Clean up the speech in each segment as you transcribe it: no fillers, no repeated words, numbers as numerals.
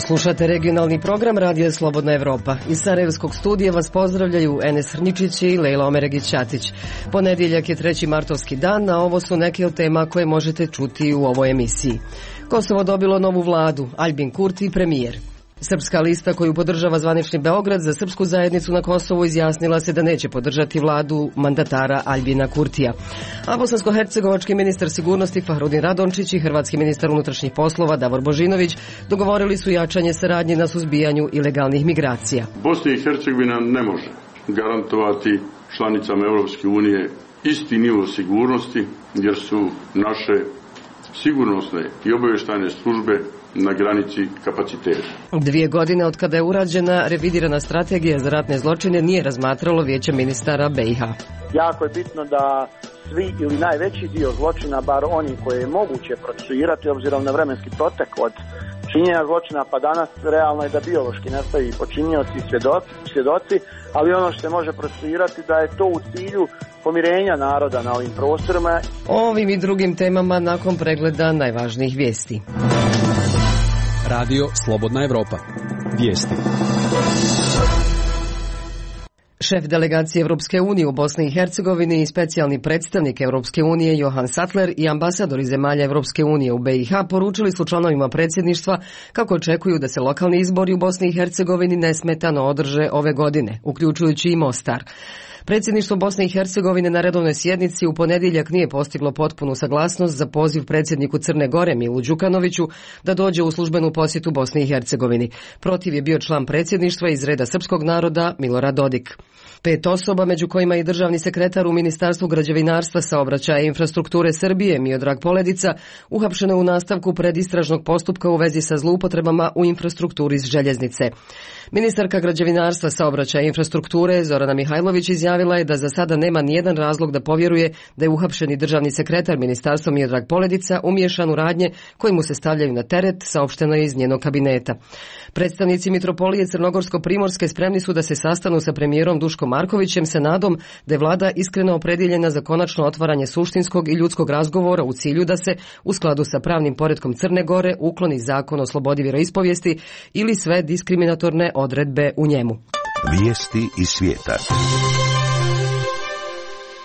Slušate regionalni program Radija Slobodna Evropa. Iz Sarajevskog studija vas pozdravljaju Enes Hrničić i Lejla Omeregić-Ćatić. Ponedjeljak je 3. martovski dan, a ovo su neke od tema koje možete čuti u ovoj emisiji. Kosovo dobilo novu vladu, Aljbin Kurti premijer. Srpska lista koju podržava zvanični Beograd za srpsku zajednicu na Kosovu izjasnila se da neće podržati vladu mandatara Aljbina Kurtija. A bosansko-hercegovački ministar sigurnosti Fahrudin Radončić i hrvatski ministar unutrašnjih poslova Davor Božinović dogovorili su jačanje saradnje na suzbijanju ilegalnih migracija. Bosna i Hercegovina ne može garantovati članicama Europske unije isti nivo sigurnosti jer su naše sigurnosne i obavještajne službe na granici kapaciteta. 2 godine od kada je urađena revidirana strategija za ratne zločine nije razmatralo Vijeće ministara BiH. Jako je bitno da svi ili najveći dio zločina, bar oni koje je moguće procesuirati obzirom na vremenski protek od činjenja zločina pa danas, realno je da biološki nestaju počinioci i svjedoci, ali ono što se može procesuirati da je to u cilju pomirenja naroda na ovim prostorima. O ovim i drugim temama nakon pregleda najvažnijih vijesti. Radio Slobodna Evropa. Vijesti. Šef delegacije Evropske unije u Bosni i Hercegovini i specijalni predstavnik Evropske unije Johan Sattler i ambasadori zemalja Evropske unije u BiH poručili su članovima predsjedništva kako očekuju da se lokalni izbori u Bosni i Hercegovini nesmetano održe ove godine, uključujući i Mostar. Predsjedništvo Bosne i Hercegovine na redovnoj sjednici u ponedjeljak nije postiglo potpunu saglasnost za poziv predsjedniku Crne Gore Milu Đukanoviću da dođe u službenu posjetu Bosni i Hercegovini. Protiv je bio član predsjedništva iz reda srpskog naroda Milorad Dodik. 5 osoba, među kojima i državni sekretar u Ministarstvu građevinarstva, saobraćaja i infrastrukture Srbije Miodrag Poledica, uhapšeno je u nastavku predistražnog postupka u vezi sa zloupotrebama u infrastrukturi željeznice. Ministarka građevinarstva, saobraćaja i infrastrukture Zorana Mihajlović izjavila je da za sada nema nijedan razlog da povjeruje da je uhapšeni državni sekretar ministarstva Miodrag Poledica umiješan u radnje koji mu se stavljaju na teret, saopšteno je iz njenog kabineta. Predstavnici Mitropolije Crnogorsko-Primorske spremni su da se sastanu sa premijerom Duškom Markovićem sa nadom da je vlada iskreno opredjeljena za konačno otvaranje suštinskog i ljudskog razgovora u cilju da se, u skladu sa pravnim poretkom Crne Gore, ukloni zakon o slobodi vjeroispovijesti ili sve diskriminatorne odredbe u njemu. Vijesti iz svijeta.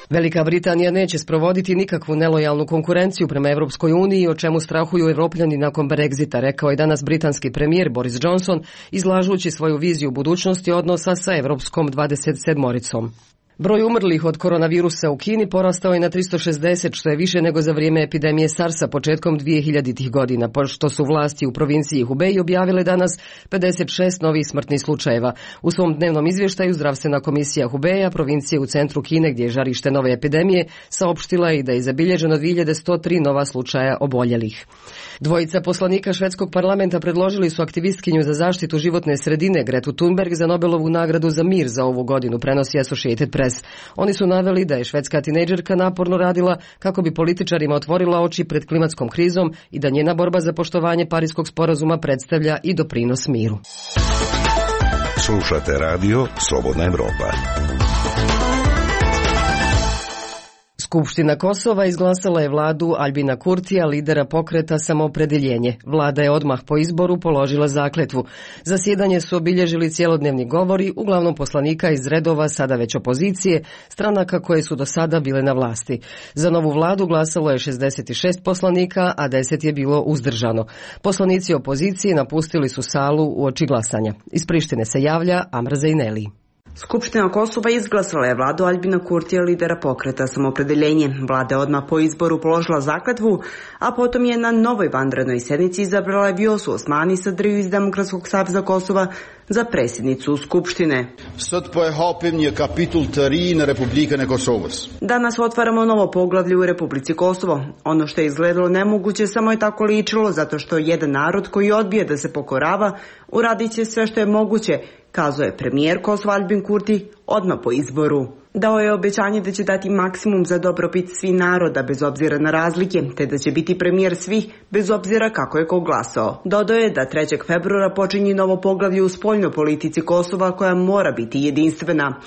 Velika Britanija neće sprovoditi nikakvu nelojalnu konkurenciju prema Evropskoj uniji, o čemu strahuju Evropljani nakon Brexita, rekao je danas britanski premijer Boris Johnson, izlažući svoju viziju budućnosti odnosa sa Evropskom 27-oricom. Broj umrlih od koronavirusa u Kini porastao je na 360, što je više nego za vrijeme epidemije SARS-a početkom 2000-ih godina, pošto su vlasti u provinciji Hubei objavile danas 56 novih smrtnih slučajeva. U svom dnevnom izvještaju Zdravstvena komisija Hubeja, provincije u centru Kine gdje je žarište nove epidemije, saopštila je da je zabilježeno 2103 nova slučaja oboljelih. Dvojica poslanika švedskog parlamenta predložili su aktivistkinju za zaštitu životne sredine Gretu Thunberg za Nobelovu nagradu za mir za ovu godinu, prenosi Associated Press. Oni su naveli da je švedska tinejdžerka naporno radila kako bi političarima otvorila oči pred klimatskom krizom i da njena borba za poštovanje Pariskog sporazuma predstavlja i doprinos miru. Slušate radio Slobodna Evropa. Skupština Kosova izglasala je vladu Aljbina Kurtija, lidera pokreta Samoopredjeljenje. Vlada je odmah po izboru položila zakletvu. Zasjedanje su obilježili cjelodnevni govori, uglavnom poslanika iz redova sada već opozicije, stranaka koje su do sada bile na vlasti. Za novu vladu glasalo je 66 poslanika, a 10 je bilo uzdržano. Poslanici opozicije napustili su salu uoči glasanja. Iz Prištine se javlja Amra Zejneli. Skupština Kosova izglasala je vladu Aljbina Kurtija, lidera pokreta Samoopredjeljenje. Vlada je odmah po izboru položila zakletvu, a potom je na novoj vanrednoj sjednici izabrala Vjosu Osmani Sadriju iz Demokratskog saveza Kosova za predsjednicu Skupštine. Danas otvaramo novo poglavlje u Republici Kosovo. Ono što je izgledalo nemoguće samo je tako ličilo, zato što jedan narod koji odbije da se pokorava uradit će sve što je moguće, kazao je premijer Kosova Aljbin Kurti odmah po izboru. Dao je obećanje da će dati maksimum za dobrobit svih naroda bez obzira na razlike, te da će biti premijer svih bez obzira kako je ko glasao. Dodao je da 3. februara počinje novo poglavlje u spoljnoj politici Kosova koja mora biti jedinstvena.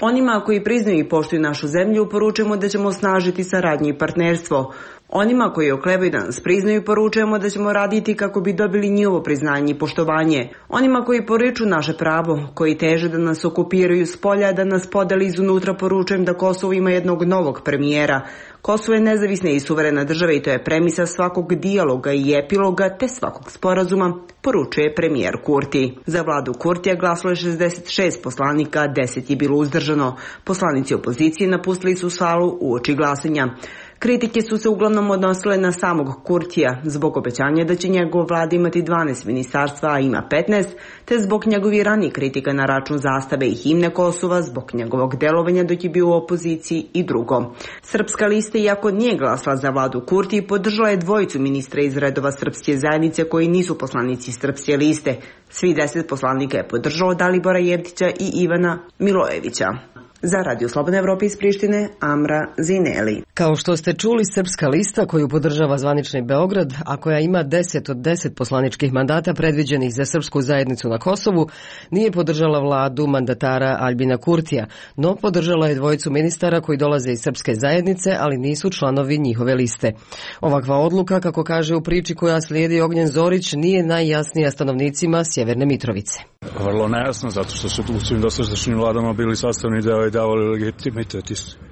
Onima koji priznaju i poštuju našu zemlju poručujemo da ćemo osnažiti saradnju i partnerstvo. Onima koji oklevaju da nas priznaju poručujemo da ćemo raditi kako bi dobili njihovo priznanje i poštovanje. Onima koji poriču naše pravo, koji teže da nas okupiraju s polja, da nas podeli izunutra, poručujem da Kosovo ima jednog novog premijera. Kosovo je nezavisna i suverena država i to je premisa svakog dijaloga i epiloga te svakog sporazuma, poručuje premijer Kurti. Za vladu Kurtija glasalo je 66 poslanika, 10 je bilo uzdržano. Poslanici opozicije napustili su salu uoči glasanja. Kritike su se uglavnom odnosile na samog Kurtija zbog obećanja da će njegova vlada imati 12 ministarstva, a ima 15, te zbog njegovih ranijih kritika na račun zastave i himne Kosova, zbog njegovog delovanja dok je bio u opoziciji i drugo. Srpska lista, iako nije glasala za vladu Kurti, podržala je dvojicu ministra iz redova srpske zajednice koji nisu poslanici Srpske liste. Svi 10 poslanika je podržalo Dalibora Jevtića i Ivana Milojevića. Za Radio Slobodna Evropa iz Prištine, Amra Zineli. Kao što ste čuli, Srpska lista koju podržava zvanični Beograd, a koja ima 10 od 10 poslaničkih mandata predviđenih za srpsku zajednicu na Kosovu, nije podržala vladu mandatara Aljbina Kurtija, no podržala je dvojicu ministara koji dolaze iz srpske zajednice, ali nisu članovi njihove liste. Ovakva odluka, kako kaže u priči koja slijedi Ognjen Zorić, nije najjasnija stanovnicima Sjeverne Mitrovice. Vrlo nejasno, zato što su u svim dosadašnjim vladama bili sastavni deo i davali legitimitet.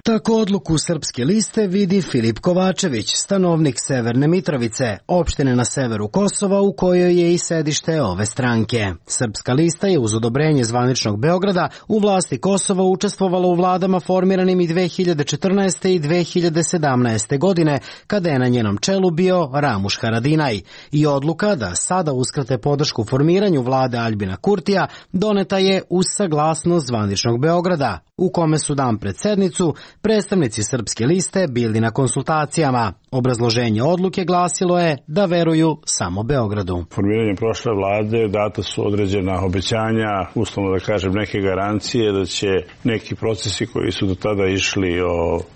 Tako odluku Srpske liste vidi Filip Kovačević, stanovnik Severne Mitrovice, opštine na severu Kosova u kojoj je i sedište ove stranke. Srpska lista je uz odobrenje zvaničnog Beograda u vlasti Kosova učestvovala u vladama formiranim i 2014. i 2017. godine, kada je na njenom čelu bio Ramuš Haradinaj. I odluka da sada uskrate podršku formiranju vlade Aljbina Kurtija doneta je uz saglasnost zvaničnog Beograda, u kome su dan pred sednicu predstavnici Srpske liste bili na konsultacijama. Obrazloženje odluke glasilo je da veruju samo Beogradu. Formiranjem prošle vlade data su određena obećanja, uslovno da kažem neke garancije da će neki procesi koji su do tada išli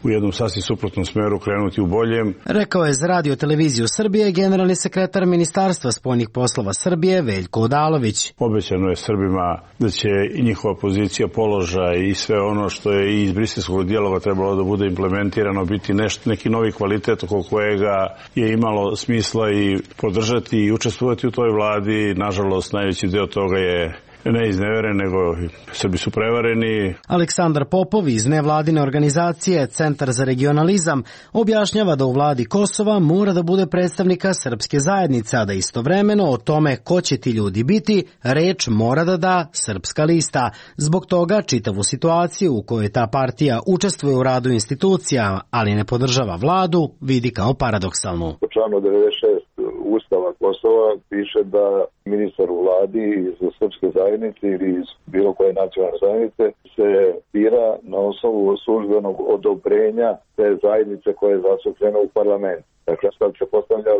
u jednom sasvim suprotnom smeru krenuti u boljem. Rekao je za Radio Televiziju Srbije generalni sekretar Ministarstva spoljnih poslova Srbije Veljko Odalović. Obećano je Srbima da će i njihova pozicija, položaj i sve ono što je i iz briselskog dijaloga trebalo da bude implementirano biti neki novi kvalitet oko kojega je imalo smisla i podržati i učestvovati u toj vladi. Nažalost, najveći deo toga je ne izneveren, nego Srbi su prevareni. Aleksandar Popov iz nevladine organizacije Centar za regionalizam objašnjava da u vladi Kosova mora da bude predstavnika srpske zajednice, a da istovremeno o tome ko će ti ljudi biti, reč mora da da Srpska lista. Zbog toga čitavu situaciju u kojoj ta partija učestvuje u radu institucija, ali ne podržava vladu, vidi kao paradoksalnu. Po članu 96 Ustava Kosova piše da ministar u vladi iz srpske zajednice ili iz bilo koje nacionalne zajednice se bira na osnovu službenog odobrenja te zajednice koja je zastupljena u parlament. Dakle, sad se postavlja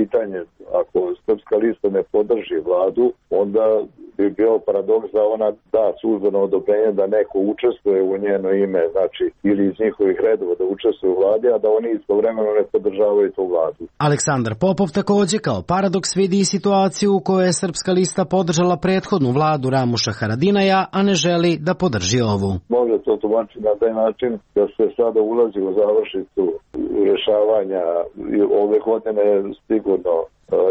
pitanje, ako Srpska lista ne podrži vladu, onda bi bio paradoks da ona da službeno odobrenje da neko učestvuje u njeno ime, znači ili iz njihovih redova da učestvuje u vladi, a da oni istovremeno ne podržavaju tu vladu. Aleksandar Popov takođe kao paradoks vidi i situaciju u kojoj je Srpska lista podržala prethodnu vladu Ramuša Haradinaja, a ne želi da podrži ovu. Može to tumačiti na taj način da se sada ulazi u završnicu rešavanja ove godine sigurno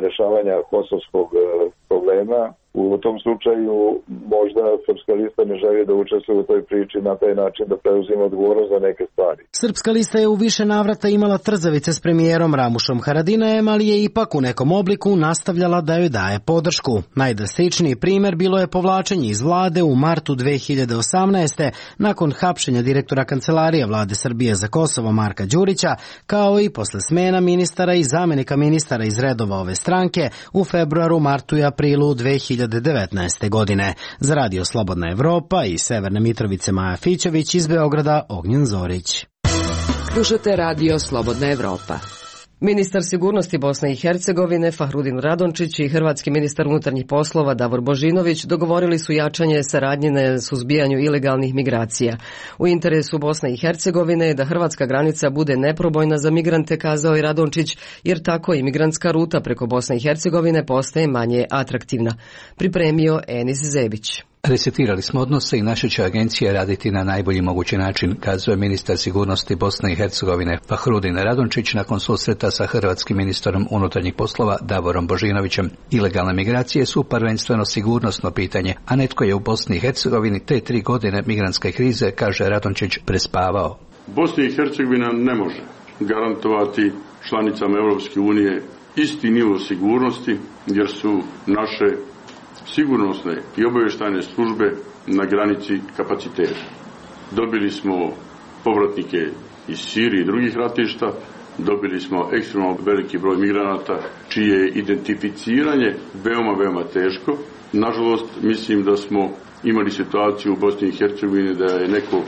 rešavanja kosovskog problema. U tom slučaju možda Srpska lista ne želi da učestvuje u toj priči na taj način da preuzima odgovornost za neke stvari. Srpska lista je u više navrata imala trzavice s premijerom Ramušom Haradinajem, ali je ipak u nekom obliku nastavljala da joj daje podršku. Najdrastičniji primer bilo je povlačenje iz vlade u martu 2018. nakon hapšenja direktora Kancelarije vlade Srbije za Kosovo Marka Đurića, kao i posle smena ministara i zamenika ministara iz redova ove stranke u februaru, martu i aprilu 2019. godine. Za Radio Slobodna Evropa i Severne Mitrovice Maja Fićević, iz Beograda Ognjen Zorić. Slušate Radio Slobodna Evropa. Ministar sigurnosti Bosne i Hercegovine Fahrudin Radončić i hrvatski ministar unutarnjih poslova Davor Božinović dogovorili su jačanje saradnje na suzbijanju ilegalnih migracija. U interesu Bosne i Hercegovine je da hrvatska granica bude neprobojna za migrante, kazao je Radončić, jer tako i migrantska ruta preko Bosne i Hercegovine postaje manje atraktivna. Pripremio Enis Zebić. Resetirali smo odnose i naša će agencija raditi na najbolji mogući način, kazuje ministar sigurnosti Bosne i Hercegovine Fahrudin Radončić nakon susreta sa hrvatskim ministrom unutarnjih poslova Davorom Božinovićem. Ilegalne migracije su prvenstveno sigurnosno pitanje, a netko je u Bosni i Hercegovini te 3 godine migrantske krize, kaže Radončić, prespavao. Bosna i Hercegovina ne može garantovati članicama Europske unije isti nivo sigurnosti, jer su naše sigurnosne i obavještajne službe na granici kapaciteta. Dobili smo povratnike iz Sirije i drugih ratišta, dobili smo ekstremno veliki broj migranata čije je identificiranje veoma teško. Nažalost, mislim da smo imali situaciju u Bosni i Hercegovini da je neko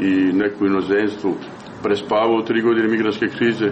i neko inozemstvu prespavao 3 godine migrantske krize.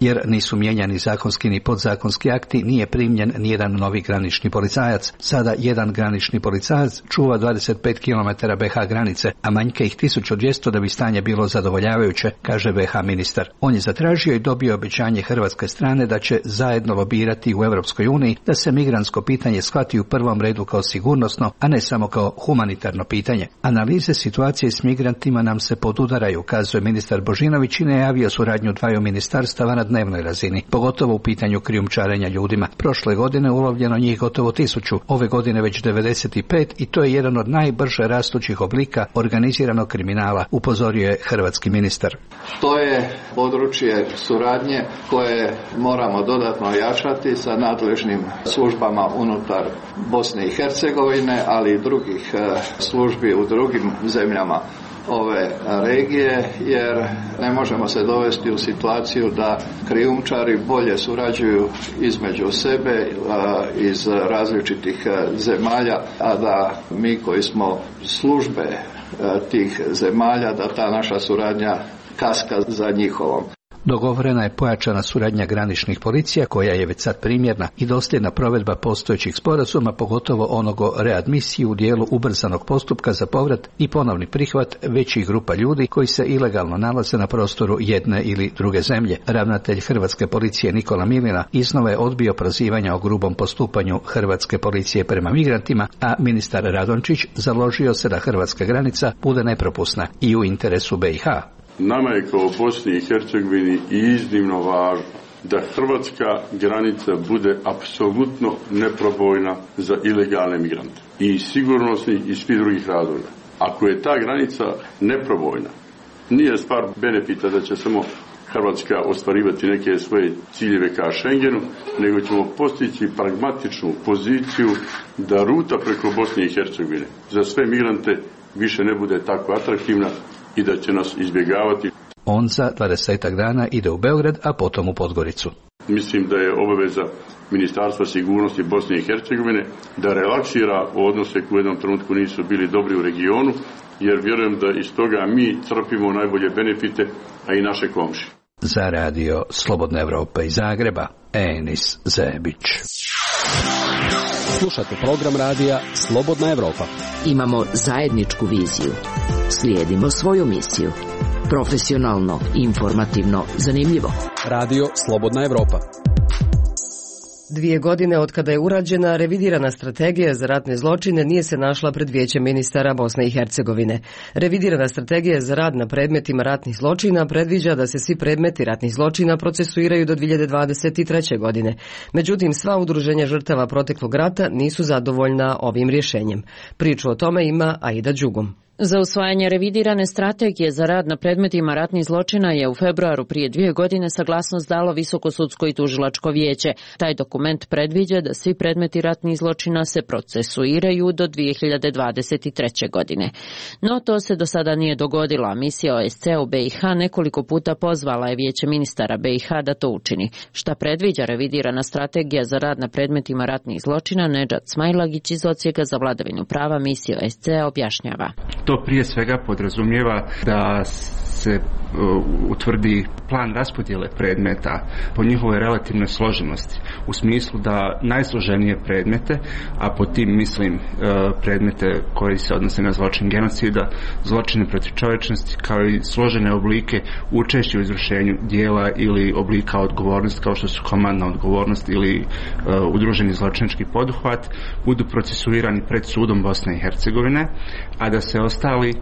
Jer nisu mijenjani zakonski ni podzakonski akti, nije primljen nijedan novi granični policajac. Sada jedan granični policajac čuva 25 km BH granice, a manjka ih 1200 da bi stanje bilo zadovoljavajuće, kaže BH ministar. On je zatražio i dobio obećanje hrvatske strane da će zajedno lobirati u Europskoj uniji da se migrantsko pitanje shvati u prvom redu kao sigurnosno, a ne samo kao humanitarno pitanje. Analize situacije s migrantima nam se podudaraju, kazuje ministar Božinović i najavio suradnju dvaju ministarstava na dnevnoj razini, pogotovo u pitanju krijumčarenja ljudima. Prošle godine ulovljeno njih gotovo 1000, ove godine već 95 i to je jedan od najbrže rastućih oblika organiziranog kriminala, upozorio je hrvatski ministar. To je područje suradnje koje moramo dodatno jačati sa nadležnim službama unutar Bosne i Hercegovine, ali i drugih službi u drugim zemljama ove regije, jer ne možemo se dovesti u situaciju da krijumčari bolje surađuju između sebe iz različitih zemalja, a da mi koji smo službe tih zemalja, da ta naša suradnja kaska za njihovom. Dogovorena je pojačana suradnja graničnih policija koja je već sad primjerna i dosljedna provedba postojećih sporazuma, pogotovo onog o readmisiji u dijelu ubrzanog postupka za povrat i ponovni prihvat većih grupa ljudi koji se ilegalno nalaze na prostoru jedne ili druge zemlje. Ravnatelj hrvatske policije Nikola Milina iznova je odbio prozivanja o grubom postupanju hrvatske policije prema migrantima, a ministar Radončić založio se da hrvatska granica bude nepropusna i u interesu BiH. Nama je kao Bosni i Hercegovini iznimno važno da hrvatska granica bude apsolutno neprobojna za ilegalne migrante. I sigurnosni i svi drugih razloga. Ako je ta granica neprobojna, nije stvar benefita da će samo Hrvatska ostvarivati neke svoje ciljeve ka Schengenu, nego ćemo postići pragmatičnu poziciju da ruta preko Bosne i Hercegovine za sve migrante više ne bude tako atraktivna i da će nas izbjegavati. On za 20 dana ide u Beograd, a potom u Podgoricu. Mislim da je obaveza Ministarstva sigurnosti Bosne i Hercegovine da relaksira odnose koji u jednom trenutku nisu bili dobri u regionu, jer vjerujem da iz toga mi crpimo najbolje benefite, a i naše komšije. Za radio Slobodna Evropa iz Zagreba, Enis Zebić. Slušate program radija Slobodna Evropa. Imamo zajedničku viziju. Slijedimo svoju misiju. Profesionalno, informativno, zanimljivo. Radio Slobodna Evropa. 2 godine od kada je urađena revidirana strategija za ratne zločine nije se našla pred Vijećem ministara Bosne i Hercegovine. Revidirana strategija za rad na predmetima ratnih zločina predviđa da se svi predmeti ratnih zločina procesuiraju do 2023. godine. Međutim, sva udruženja žrtava proteklog rata nisu zadovoljna ovim rješenjem. Priču o tome ima Aida Đugum. Za usvajanje revidirane strategije za rad na predmetima ratnih zločina je u februaru prije 2 godine saglasnost dalo Visokosudsko i tužilačko vijeće. Taj dokument predviđa da svi predmeti ratnih zločina se procesuiraju do 2023. godine. No to se do sada nije dogodilo. Misija OSCE u BiH nekoliko puta pozvala je Vijeće ministara BiH da to učini. Šta predviđa revidirana strategija za rad na predmetima ratnih zločina, Nedžad Smajlagić iz Odsjeka za vladavinu prava misije OSCE objašnjava. To prije svega podrazumijeva da se utvrdi plan raspodjele predmeta po njihovoj relativnoj složenosti, u smislu da najsloženije predmete, a po tim mislim predmete koji se odnose na zločin genocida, zločine protiv čovječnosti, kao i složene oblike učešća u izvršenju dijela ili oblika odgovornosti, kao što su komandna odgovornost ili udruženi zločinački poduhvat, budu procesuirani pred sudom Bosne i Hercegovine, a da se ostali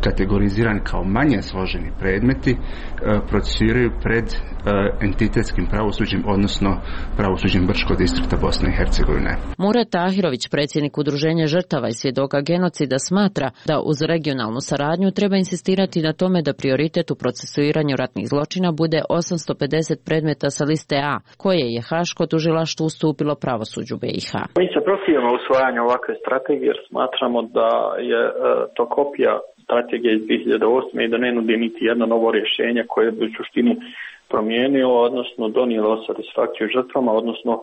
kategorizirani kao manje složeni predmeti procesuiraju pred entitetskim pravosuđem, odnosno pravosuđem Brčkog distrikta Bosne i Hercegovine. Murat Tahirović, predsjednik Udruženja žrtava i svjedoka genocida, smatra da uz regionalnu saradnju treba insistirati na tome da prioritet u procesuiranju ratnih zločina bude 850 predmeta sa liste A, koje je Haško tužilaštvo ustupilo pravosuđu BiH. Mi se protivimo usvajanju ovakve strategije jer smatramo da je to kopija strategije iz 2008. i da ne nudi niti jedno novo rješenje koje bi u suštini promijenilo, odnosno donijelo satisfakciju žrtvama, odnosno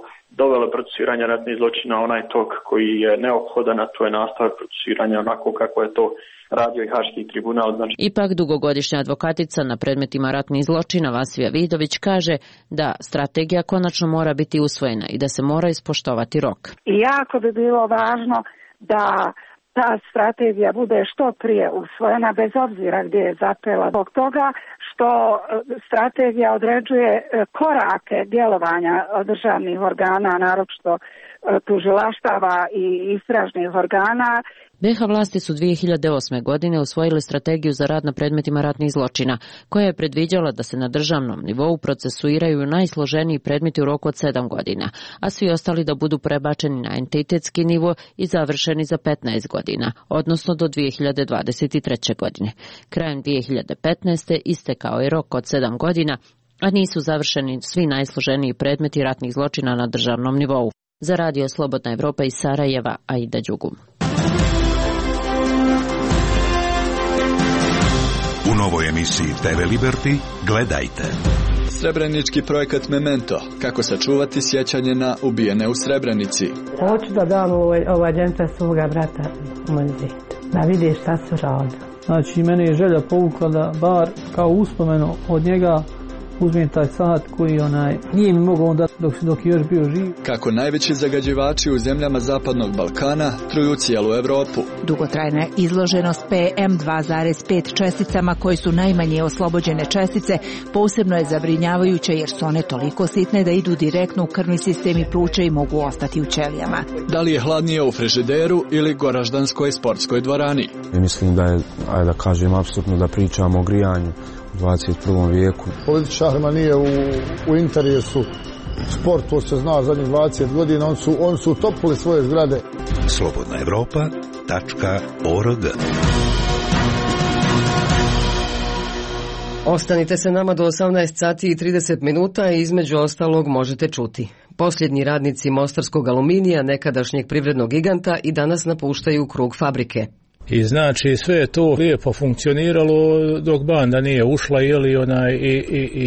dovelo procesuiranje ratnih zločina onaj tok koji je neophodan, a to je nastavak procesuiranja onako kako je to radio i Haški tribunal. Ipak dugogodišnja advokatica na predmetima ratnih zločina Vasija Vidović kaže da strategija konačno mora biti usvojena i da se mora ispoštovati rok. I jako bi bilo važno da ta strategija bude što prije usvojena, bez obzira gdje je zapela. Zbog toga što strategija određuje korake djelovanja državnih organa, naročito tužilaštava i istražnih organa. BiH vlasti su 2008. godine usvojile strategiju za rad na predmetima ratnih zločina, koja je predviđala da se na državnom nivou procesuiraju najsloženiji predmeti u roku od 7 godina, a svi ostali da budu prebačeni na entitetski nivo i završeni za 15 godina, odnosno do 2023. godine. Krajem 2015. istekao je rok od 7 godina, a nisu završeni svi najsloženiji predmeti ratnih zločina na državnom nivou. Za Radio Slobodna Evropa iz Sarajeva, Aida Đugum. U novoj emisiji TV Liberty gledajte. Srebrenički projekat Memento. Kako sačuvati sjećanje na ubijene u Srebrenici. Hoću da dam ovaj dženca svoga brata muzej. Da vidi šta su radili. Znači, mene je želja povukla da bar kao uspomenu od njega uzmem taj sat koji nije mi mogao onda dok je još bio živ. Kako najveći zagađivači u zemljama Zapadnog Balkana truju cijelu Evropu. Dugotrajna izloženost PM2,5 česticama, koji su najmanje oslobođene čestice, posebno je zabrinjavajuće jer su one toliko sitne da idu direktno u krvni sistem i pluća i mogu ostati u ćelijama. Da li je hladnije u frižideru ili Goraždanskoj sportskoj dvorani? Mislim da je, da kažem, apsolutno da pričamo o grijanju u 21. vijeku. Političarima nije u interesu sport, to se zna zadnjih 20 godina, oni su utopili svoje zgrade. slobodnaevropa.org. Ostanite se nama do 18 sati i 30 minuta i između ostalog možete čuti. Posljednji radnici Mostarskog aluminija, nekadašnjeg privrednog giganta, i danas napuštaju krug fabrike. I znači sve je to lijepo funkcioniralo dok banda nije ušla, i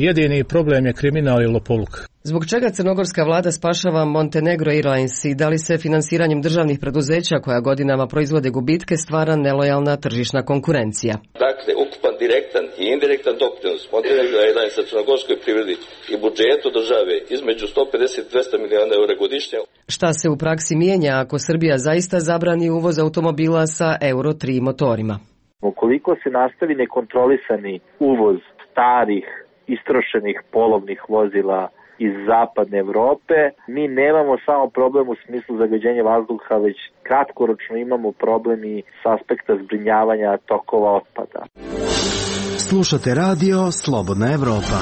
jedini problem je kriminal i lopovluk. Zbog čega crnogorska vlada spašava Montenegro Airlines i da li se finansiranjem državnih preduzeća koja godinama proizvode gubitke stvara nelojalna tržišna konkurencija? Dakle, ukupan direktan i indirektan doprinos Montenegro Airlinesa crnogorskoj privredi i budžetu države između 150-200 miliona eura godišnje. Šta se u praksi mijenja ako Srbija zaista zabrani uvoz automobila sa Euro 3 motorima? Ukoliko se nastavi nekontrolisani uvoz starih, istrošenih polovnih vozila iz zapadne Evrope, mi nemamo samo problem u smislu zagađenja vazduha, već kratkoročno imamo problem i s aspekta zbrinjavanja tokova otpada. Slušate radio Slobodna Evropa.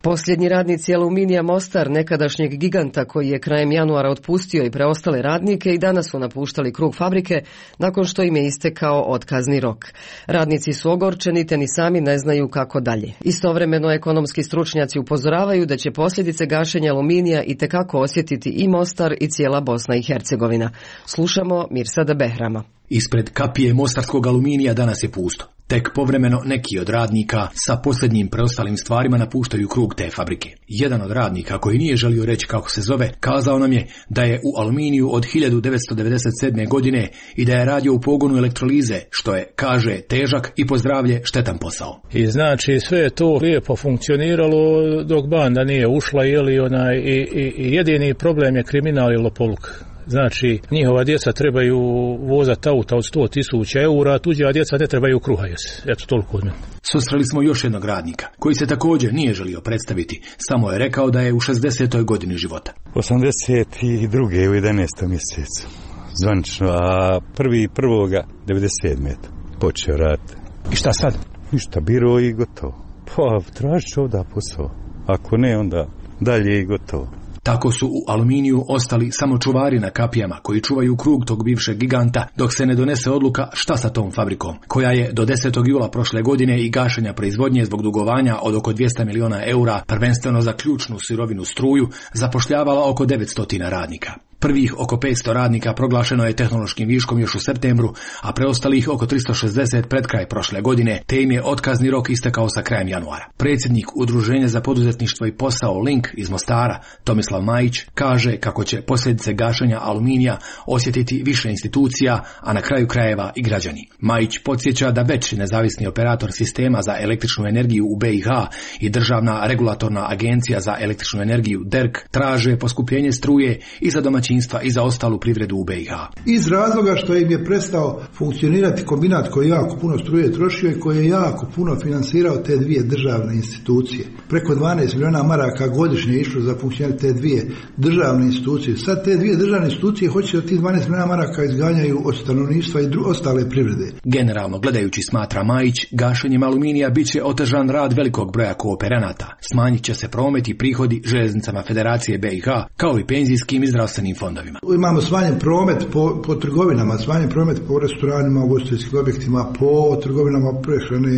Posljednji radnici Aluminija Mostar, nekadašnjeg giganta koji je krajem januara otpustio i preostale radnike, i danas su napuštali krug fabrike nakon što im je istekao otkazni rok. Radnici su ogorčeni te ni sami ne znaju kako dalje. Istovremeno ekonomski stručnjaci upozoravaju da će posljedice gašenja Aluminija itekako osjetiti i Mostar i cijela Bosna i Hercegovina. Slušamo Mirsada Behrama. Ispred kapije mostarskog Aluminija danas je pusto. Tek povremeno neki od radnika sa posljednjim preostalim stvarima napuštaju krug te fabrike. Jedan od radnika, koji nije želio reći kako se zove, kazao nam je da je u Aluminiju od 1997. godine i da je radio u pogonu elektrolize, što je, kaže, težak i po zdravlje štetan posao. I znači sve je to lijepo funkcioniralo dok banda nije ušla, i jedini problem je kriminal i lopovluk. Znači, njihova djeca trebaju vozati auta od 100.000 eura, a tuđa djeca ne trebaju kruha jesti. Eto, toliko od mene. Susreli smo još jednog radnika, koji se također nije želio predstaviti, samo je rekao da je u 60. godini života. 82. u 11. mjesecu, zvanično, a 1.1.97. počeo raditi. I šta sad? Ništa, biro i gotovo. Pa, tražit ću ovdje posao. Ako ne, onda dalje i gotovo. Tako su u Aluminiju ostali samo čuvari na kapijama koji čuvaju krug tog bivšeg giganta dok se ne donese odluka šta sa tom fabrikom, koja je do 10. jula prošle godine i gašenja proizvodnje zbog dugovanja od oko 200 miliona eura, prvenstveno za ključnu sirovinu struju, zapošljavala oko 900 radnika. Prvih oko 500 radnika proglašeno je tehnološkim viškom još u septembru, a preostalih oko 360 pred kraj prošle godine, te im je otkazni rok istekao sa krajem januara. Predsjednik Udruženja za poduzetništvo i posao Link iz Mostara, Tomislav Majić, kaže kako će posljedice gašenja Aluminija osjetiti više institucija, a na kraju krajeva i građani. Majić podsjeća da već nezavisni operator sistema za električnu energiju u BiH i Državna regulatorna agencija za električnu energiju DERK traže poskupljenje struje i za domaćinstva i za ostalu privredu u BiH. Iz razloga što im je prestao funkcionirati kombinat koji jako puno struje trošio i koji je jako puno finansirao te dvije državne institucije. Preko 12 miliona maraka godišnje je išlo za funkcionirati te dvije državne institucije. Sad te dvije državne institucije hoće da ti 12 miliona maraka izganjaju od stanovništva i ostale privrede. Generalno gledajući, smatra Majić, gašenjem Aluminija bit će otežan rad velikog broja kooperanata. Smanjit će se promet i prihodi željeznicama Federacije BiH, kao i penzijskim i zdravstvenim fondovima. Imamo smanjen promet po trgovinama, smanjen promet po restoranima, ugostiteljskim objektima, po trgovinama prehrane,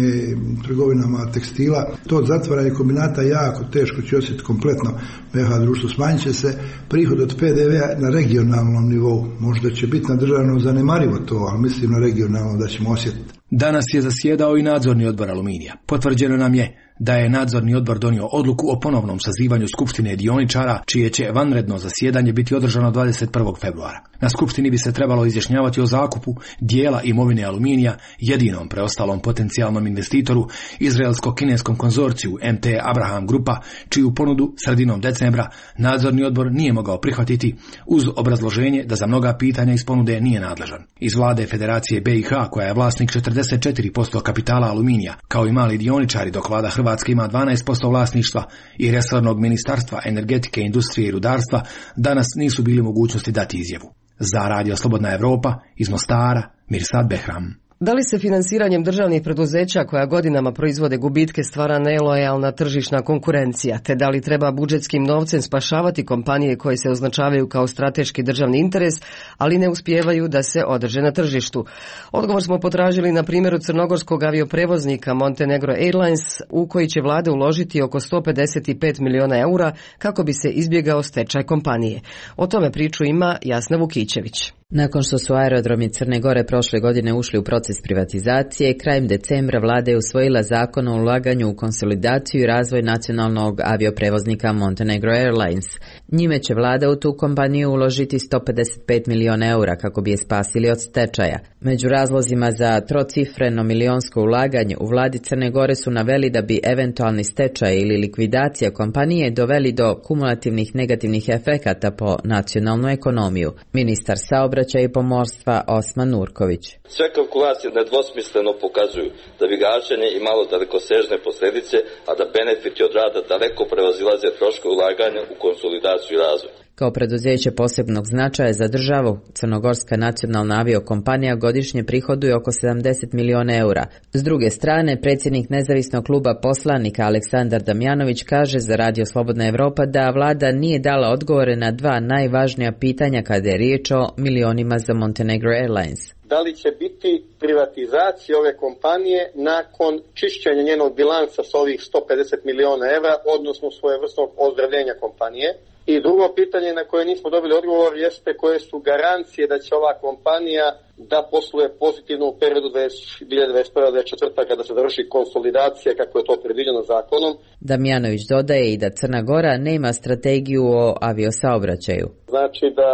trgovinama tekstila. To zatvaranje kombinata jako teško će osjetiti kompletno BiH društvo. Smanjit će se prihod od PDV-a na regionalnom nivou. Možda će biti na državnom zanemarivo to, ali mislim na regionalno da ćemo osjetiti. Danas je zasjedao i nadzorni odbor Aluminija. Potvrđeno nam je da je nadzorni odbor donio odluku o ponovnom sazivanju skupštine dioničara, čije će vanredno zasjedanje biti održano 21. februara. Na skupštini bi se trebalo izjašnjavati o zakupu dijela imovine Aluminija jedinom preostalom potencijalnom investitoru, izraelsko-kineskom konzorciju MT Abraham Grupa, čiju ponudu sredinom decembra nadzorni odbor nije mogao prihvatiti uz obrazloženje da za mnoga pitanja iz ponude nije nadležan. Iz vlade Federacije BiH, koja je vlasnik 44% kapitala Aluminija, kao i mali dioničari, dok vlada Hrvatska ima 12% vlasništva, i resornog ministarstva energetike, industrije i rudarstva, danas nisu bili mogućnosti dati izjavu. Za Radio Slobodna Evropa, iz Mostara, Mirsad Behram. Da li se finansiranjem državnih preduzeća koja godinama proizvode gubitke stvara nelojalna tržišna konkurencija, te da li treba budžetskim novcem spašavati kompanije koje se označavaju kao strateški državni interes, ali ne uspijevaju da se održe na tržištu? Odgovor smo potražili na primjeru crnogorskog avioprevoznika Montenegro Airlines, u koji će vlada uložiti oko 155 miliona eura kako bi se izbjegao stečaj kompanije. O tome priču ima Jasna Vukićević. Nakon što su aerodromi Crne Gore prošle godine ušli u proces privatizacije, krajem decembra vlada je usvojila zakon o ulaganju u konsolidaciju i razvoj nacionalnog avioprevoznika Montenegro Airlines. Njime će vlada u tu kompaniju uložiti 155 miliona eura kako bi je spasili od stečaja. Među razlozima za trocifreno milionsko ulaganje u vladi Crne Gore su naveli da bi eventualni stečaj ili likvidacija kompanije doveli do kumulativnih negativnih efekata po nacionalnu ekonomiju. Ministar saobraćaja i pomorstva Osman Nurković. Sve kalkulacije nedvosmisleno pokazuju da bi gašenje imalo dalekosežne posljedice, a da benefiti od rada daleko prevazilaze troškove ulaganja u konsolidaciju i razvoj. Kao preduzeće posebnog značaja za državu, Crnogorska nacionalna aviokompanija godišnje prihoduje oko 70 miliona eura. S druge strane, predsjednik nezavisnog kluba poslanika Aleksandar Damjanović kaže za Radio Slobodna Evropa da vlada nije dala odgovore na dva najvažnija pitanja kada je riječ o milionima za Montenegro Airlines. Da li će biti privatizacija ove kompanije nakon čišćenja njenog bilansa s ovih 150 miliona evra, odnosno svojevrsnog ozdravljenja kompanije? I drugo pitanje na koje nismo dobili odgovor jeste koje su garancije da će ova kompanija da posluje pozitivno u periodu 2021-2024 kada se završi konsolidacija kako je to predviđeno zakonom. Damjanović dodaje i da Crna Gora nema strategiju o aviosaobraćaju. Znači da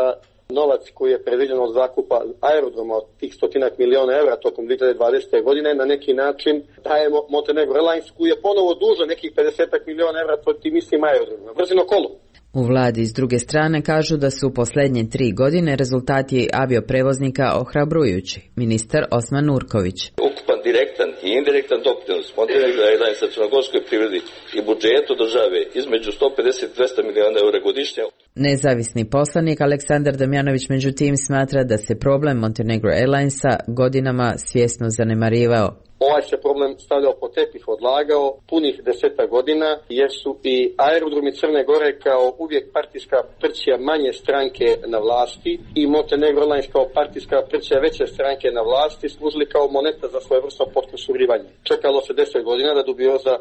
novac koji je predviđen od zakupa aerodroma od tih 100 miliona evra tokom 2020. godine na neki način daje Montenegro Airlines koji je ponovo dužan nekih 50 miliona evra tim istim aerodromima. Vrzino kolo. U vladi s druge strane kažu da su u posljednje 3 godine rezultati avioprevoznika ohrabrujući. Ministar Osman Nurković. Ukupan direktan i indirektan doprinos Montenegro Airlinesa crnogorskoj privredi i budžetu države između 150 i 200 miliona eura godišnje. Nezavisni poslanik Aleksandar Damjanović međutim smatra da se problem Montenegro Airlinesa godinama svjesno zanemarivao. Ovaj se problem stavljao po tepih, odlagao punih 10 godina jer su i aerodromi Crne Gore kao uvijek partijska prćija manje stranke na vlasti i Montenegro Airlines kao partijska prćija veće stranke na vlasti služili kao moneta za svojevrsno potkusurivanje. Čekalo se 10 godina da dubioza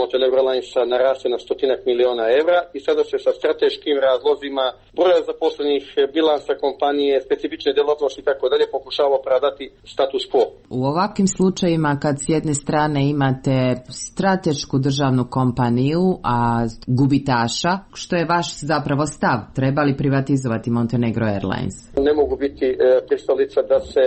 Montenegro Airlinesa naraste na 100 miliona evra i sada se sa strateškim razlozima, broja zaposlenih, bilansa kompanije, specifične djelatnosti i tako dalje pokušava opravdati status quo. U ovakvim slučajima kad s jedne strane imate stratešku državnu kompaniju, a gubitaša, što je vaš zapravo stav? Treba li privatizovati Montenegro Airlines? Ne mogu biti pristalica da se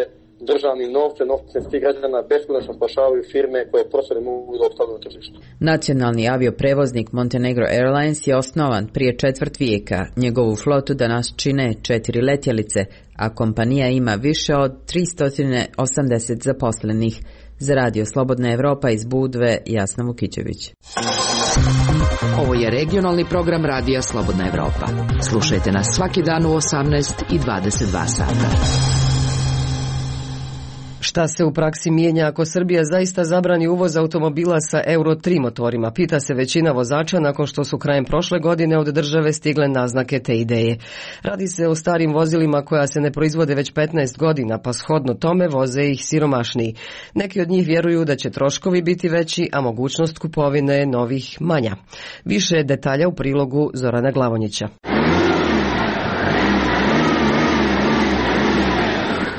državnim novcem svih građana beskonačno spašavaju firme koje prosto ne mogu da opstanu na tržištu. Nacionalni avioprevoznik Montenegro Airlines je osnovan prije 1/4 vijeka. Njegovu flotu danas čine 4 letjelice, a kompanija ima više od 380 zaposlenih. Za Radio Slobodna Evropa iz Budve, Jasna Vukićević. Ovo je regionalni program Radija Slobodna Evropa. Slušajte nas svaki dan u 18 i 22 sata. Šta se u praksi mijenja ako Srbija zaista zabrani uvoz automobila sa Euro 3 motorima? Pita se većina vozača nakon što su krajem prošle godine od države stigle naznake te ideje. Radi se o starim vozilima koja se ne proizvode već 15 godina, pa shodno tome voze ih siromašniji. Neki od njih vjeruju da će troškovi biti veći, a mogućnost kupovine novih manja. Više detalja u prilogu Zorana Glavonjića.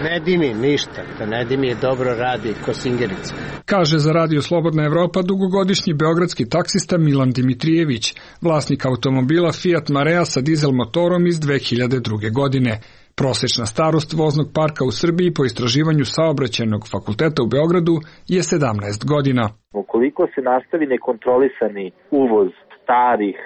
Ne dimi ništa, da ne dimi dobro radi ko singerica. Kaže za Radio Slobodna Evropa dugogodišnji beogradski taksista Milan Dimitrijević, vlasnik automobila Fiat Marea sa dizel motorom iz 2002. godine. Prosječna starost voznog parka u Srbiji po istraživanju Saobraćajnog fakulteta u Beogradu je 17 godina. Ukoliko se nastavi nekontrolisani uvoz starih,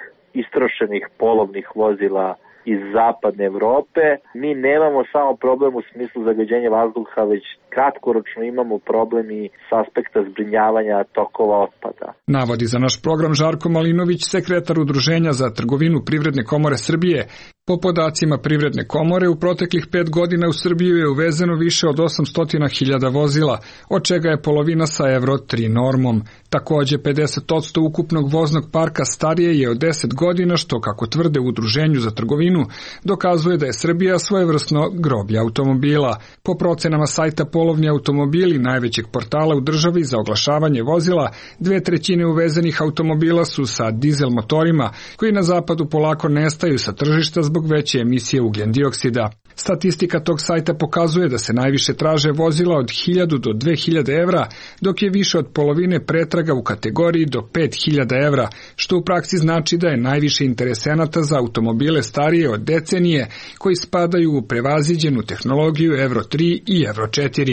istrošenih polovnih vozila iz zapadne Evrope, mi nemamo samo problem u smislu zagađenja vazduha, već kratkoročno imamo problem i s aspekta zbrinjavanja tokova otpada. Navodi za naš program Žarko Malinović, sekretar Udruženja za trgovinu Privredne komore Srbije. Po podacima Privredne komore, u proteklih 5 godina u Srbiju je uvezeno više od 800.000 vozila, od čega je polovina sa Euro 3 normom. Također 50% ukupnog voznog parka starije je od 10 godina, što, kako tvrde u Udruženju za trgovinu, dokazuje da je Srbija svojevrsno groblje automobila. Po procenama sajta Polovni automobili, najvećeg portala u državi za oglašavanje vozila, 2/3 uvezenih automobila su sa dizel motorima, koji na zapadu polako nestaju sa tržišta zbog veće emisije ugljen dioksida. Statistika tog sajta pokazuje da se najviše traže vozila od 1000 do 2000 evra, dok je više od polovine pretraga u kategoriji do 5000 evra, što u praksi znači da je najviše interesenata za automobile starije od decenije, koji spadaju u prevaziđenu tehnologiju Euro 3 i Euro 4.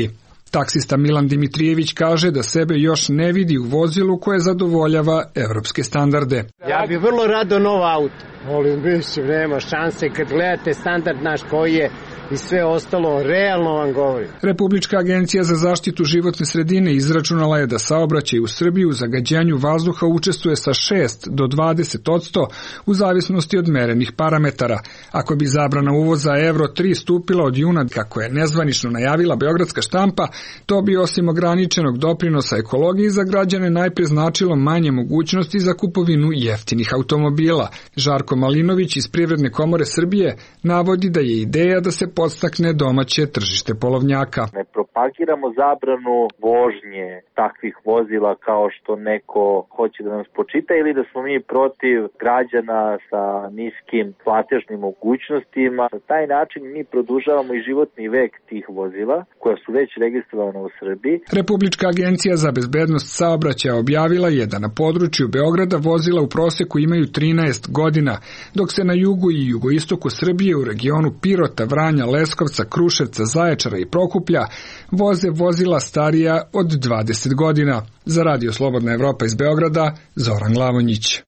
Taksista Milan Dimitrijević kaže da sebe još ne vidi u vozilu koje zadovoljava evropske standarde. Ja bi vrlo rado nov auto. Molim, mislim, nema šanse kad gledate standard naš koji je i sve ostalo, realno vam govorim. Republička agencija za zaštitu životne sredine izračunala je da saobraćaj u Srbiji u zagađenju vazduha učestvuje sa 6 do 20% u zavisnosti od merenih parametara. Ako bi zabrana uvoza Euro 3 stupila od juna, kako je nezvanično najavila beogradska štampa, to bi osim ograničenog doprinosa ekologiji za građane najprije značilo manje mogućnosti za kupovinu jeftinih automobila. Žarko Malinović iz Privredne komore Srbije navodi da je ideja da se podstakne domaće tržište polovnjaka. Ne propagiramo zabranu vožnje takvih vozila kao što neko hoće da nam spočita ili da smo mi protiv građana sa niskim platežnim mogućnostima. Na taj način mi produžavamo i životni vek tih vozila koja su već registrovana u Srbiji. Republička agencija za bezbednost saobraćaja objavila je da na području Beograda vozila u proseku imaju 13 godina, dok se na jugu i jugoistoku Srbije u regionu Pirota, Vranja, Leskovca, Kruševca, Zaječara i Prokuplja voze vozila starija od 20 godina. Za Radio Slobodna Evropa iz Beograda, Zoran Glavonjić.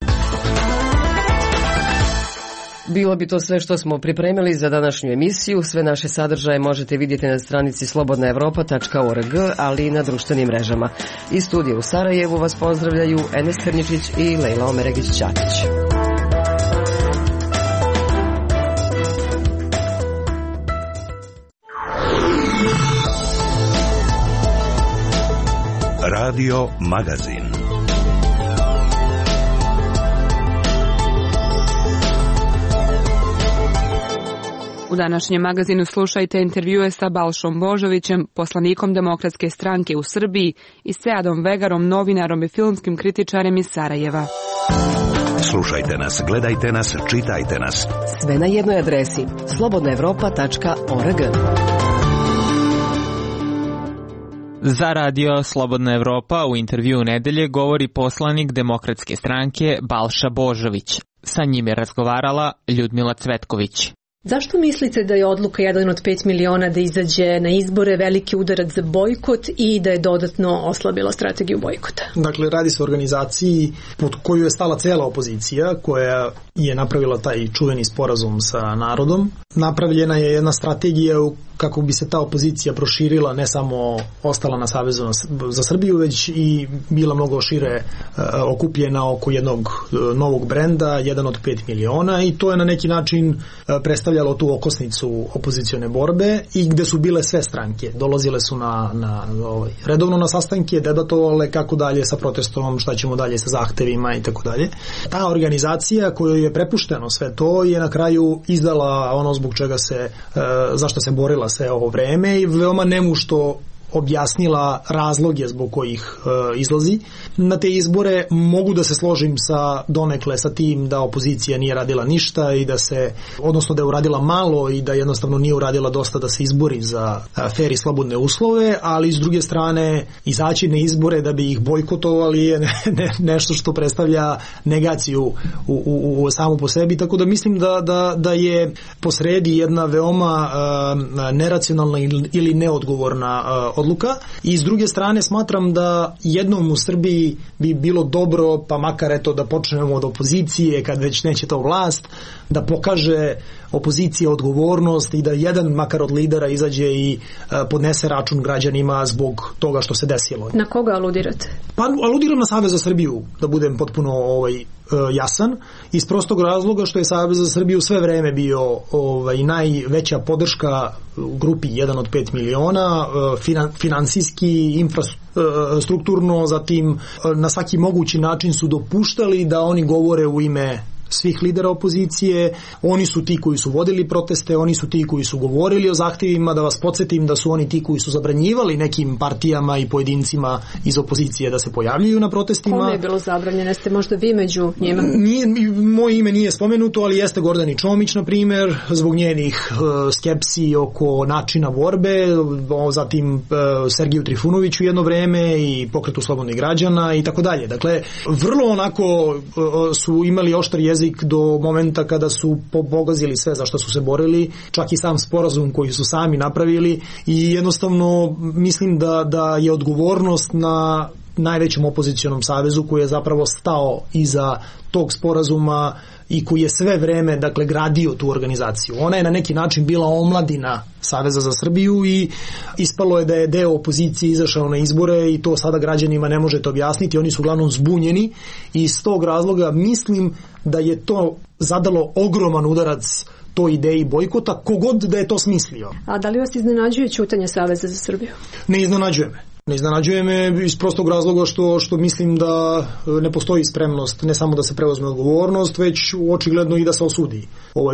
Bilo bi to sve što smo pripremili za današnju emisiju. Sve naše sadržaje možete vidjeti na stranici slobodnaevropa.org, ali i na društvenim mrežama. Iz studija u Sarajevu vas pozdravljaju Enes Krnjičić i Lejla Omeregić-Ćatić. Radio Magazin. U današnjem magazinu slušajte intervjue sa Balšom Božovićem, poslanikom Demokratske stranke u Srbiji, i Seadom Vegarom, novinarom i filmskim kritičarem iz Sarajeva. Slušajte nas, gledajte nas, čitajte nas. Sve na jednoj adresi slobodnaevropa.org. Za Radio Slobodna Evropa u intervjuu nedelje govori poslanik Demokratske stranke Balša Božović. Sa njim je razgovarala Ljudmila Cvetković. Zašto mislite da je odluka 1 od 5 miliona da izađe na izbore veliki udarac za bojkot i da je dodatno oslabila strategiju bojkota? Dakle, radi se o organizaciji pod koju je stala cela opozicija, koja je napravila taj čuveni sporazum sa narodom. Napravljena je jedna strategija kako bi se ta opozicija proširila, ne samo ostala na Savezu za Srbiju, već i bila mnogo šire okupljena oko jednog novog brenda, 1 od 5 miliona, i to je na neki način predstavljalo tu okosnicu opozicione borbe i gde su bile sve stranke. Dolazile su redovno na sastanke, debatovale kako dalje sa protestom, šta ćemo dalje sa zahtevima i tako dalje. Ta organizacija kojoj je prepušteno sve to je na kraju izdala ono zbog čega zašto se borila sve ovo vreme i veoma nemušto objasnila razloge zbog kojih izlazi na te izbore. Mogu da se složim donekle sa tim da opozicija nije radila ništa i odnosno da je uradila malo i da jednostavno nije uradila dosta da se izbori za fer i slobodne uslove, ali s druge strane izaći na izbore da bi ih bojkotovali je nešto što predstavlja negaciju u samu po sebi, tako da mislim da je posredi jedna veoma neracionalna ili neodgovorna odluka. I s druge strane smatram da jednom u Srbiji bi bilo dobro, pa makar da počnemo od opozicije, kad već neće to vlast, da pokaže opozicija odgovornost i da jedan makar od lidera izađe i podnese račun građanima zbog toga što se desilo. Na koga aludirate? Pa aludiram na Savez za Srbiju, da budem potpuno jasan, iz prostog razloga što je Savez za Srbiju sve vreme bio najveća podrška grupi 1 od 5 miliona, finansijski, infrastrukturno, zatim na svaki mogući način su dopuštali da oni govore u ime svih lidera opozicije. Oni su ti koji su vodili proteste, oni su ti koji su govorili o zahtevima. Da vas podsjetim da su oni ti koji su zabranjivali nekim partijama i pojedincima iz opozicije da se pojavljuju na protestima. Kome je bilo zabranjeno? Jeste možda vi među njima? Moje ime nije spomenuto, ali jeste Gordani Čomić, na primjer, zbog njenih skepsi oko načina borbe, zatim Sergiju Trifunoviću jedno vreme i Pokretu slobodnih građana i tako dalje. Dakle, vrlo onako su imali oštar jezik do momenta kada su pogazili sve za što su se borili, čak i sam sporazum koji su sami napravili, i jednostavno mislim da je odgovornost na najvećem opozicionom savezu koji je zapravo stao iza tog sporazuma i koji je sve vreme gradio tu organizaciju. Ona je na neki način bila omladina Saveza za Srbiju i ispalo je da je deo opozicije izašao na izbore i to sada građanima ne možete objasniti. Oni su uglavnom zbunjeni i iz tog razloga mislim da je to zadalo ogroman udarac toj ideji bojkota, kogod da je to smislio. A da li vas iznenađuje ćutanje Saveza za Srbiju? Ne iznenađuje me. Ne iznenađuje me iz prostog razloga što mislim da ne postoji spremnost ne samo da se preuzme odgovornost, već očigledno i da se osudi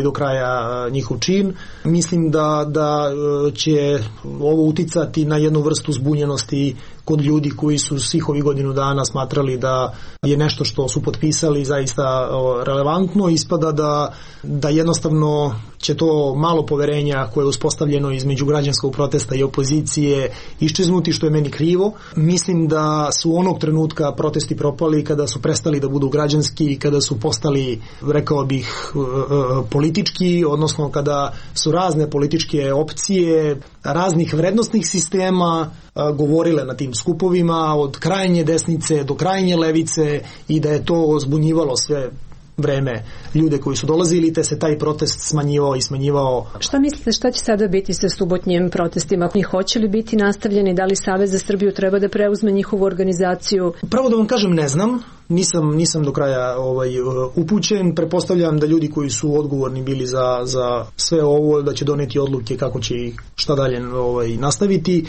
do kraja njihov čin. Mislim da će ovo uticati na jednu vrstu zbunjenosti kod ljudi koji su svih ovih godinu dana smatrali da je nešto što su potpisali zaista relevantno. Ispada da jednostavno će to malo poverenja koje je uspostavljeno između građanskog protesta i opozicije iščeznuti, što je meni krivo. Mislim da su onog trenutka protesti propali kada su prestali da budu građanski, kada su postali, rekao bih, politički, odnosno kada su razne političke opcije raznih vrednostnih sistema govorile na tim skupovima, od krajnje desnice do krajnje levice, i da je to zbunjivalo sve vreme ljude koji su dolazili, te se taj protest smanjivao. Šta mislite, šta će sada biti sa subotnjim protestima? Hoće li biti nastavljeni? Da li Savez za Srbiju treba da preuzme njihovu organizaciju? Pravo da vam kažem, ne znam. Nisam do kraja upućen. Pretpostavljam da ljudi koji su odgovorni bili za sve ovo, da će doneti odluke kako će i šta dalje nastaviti.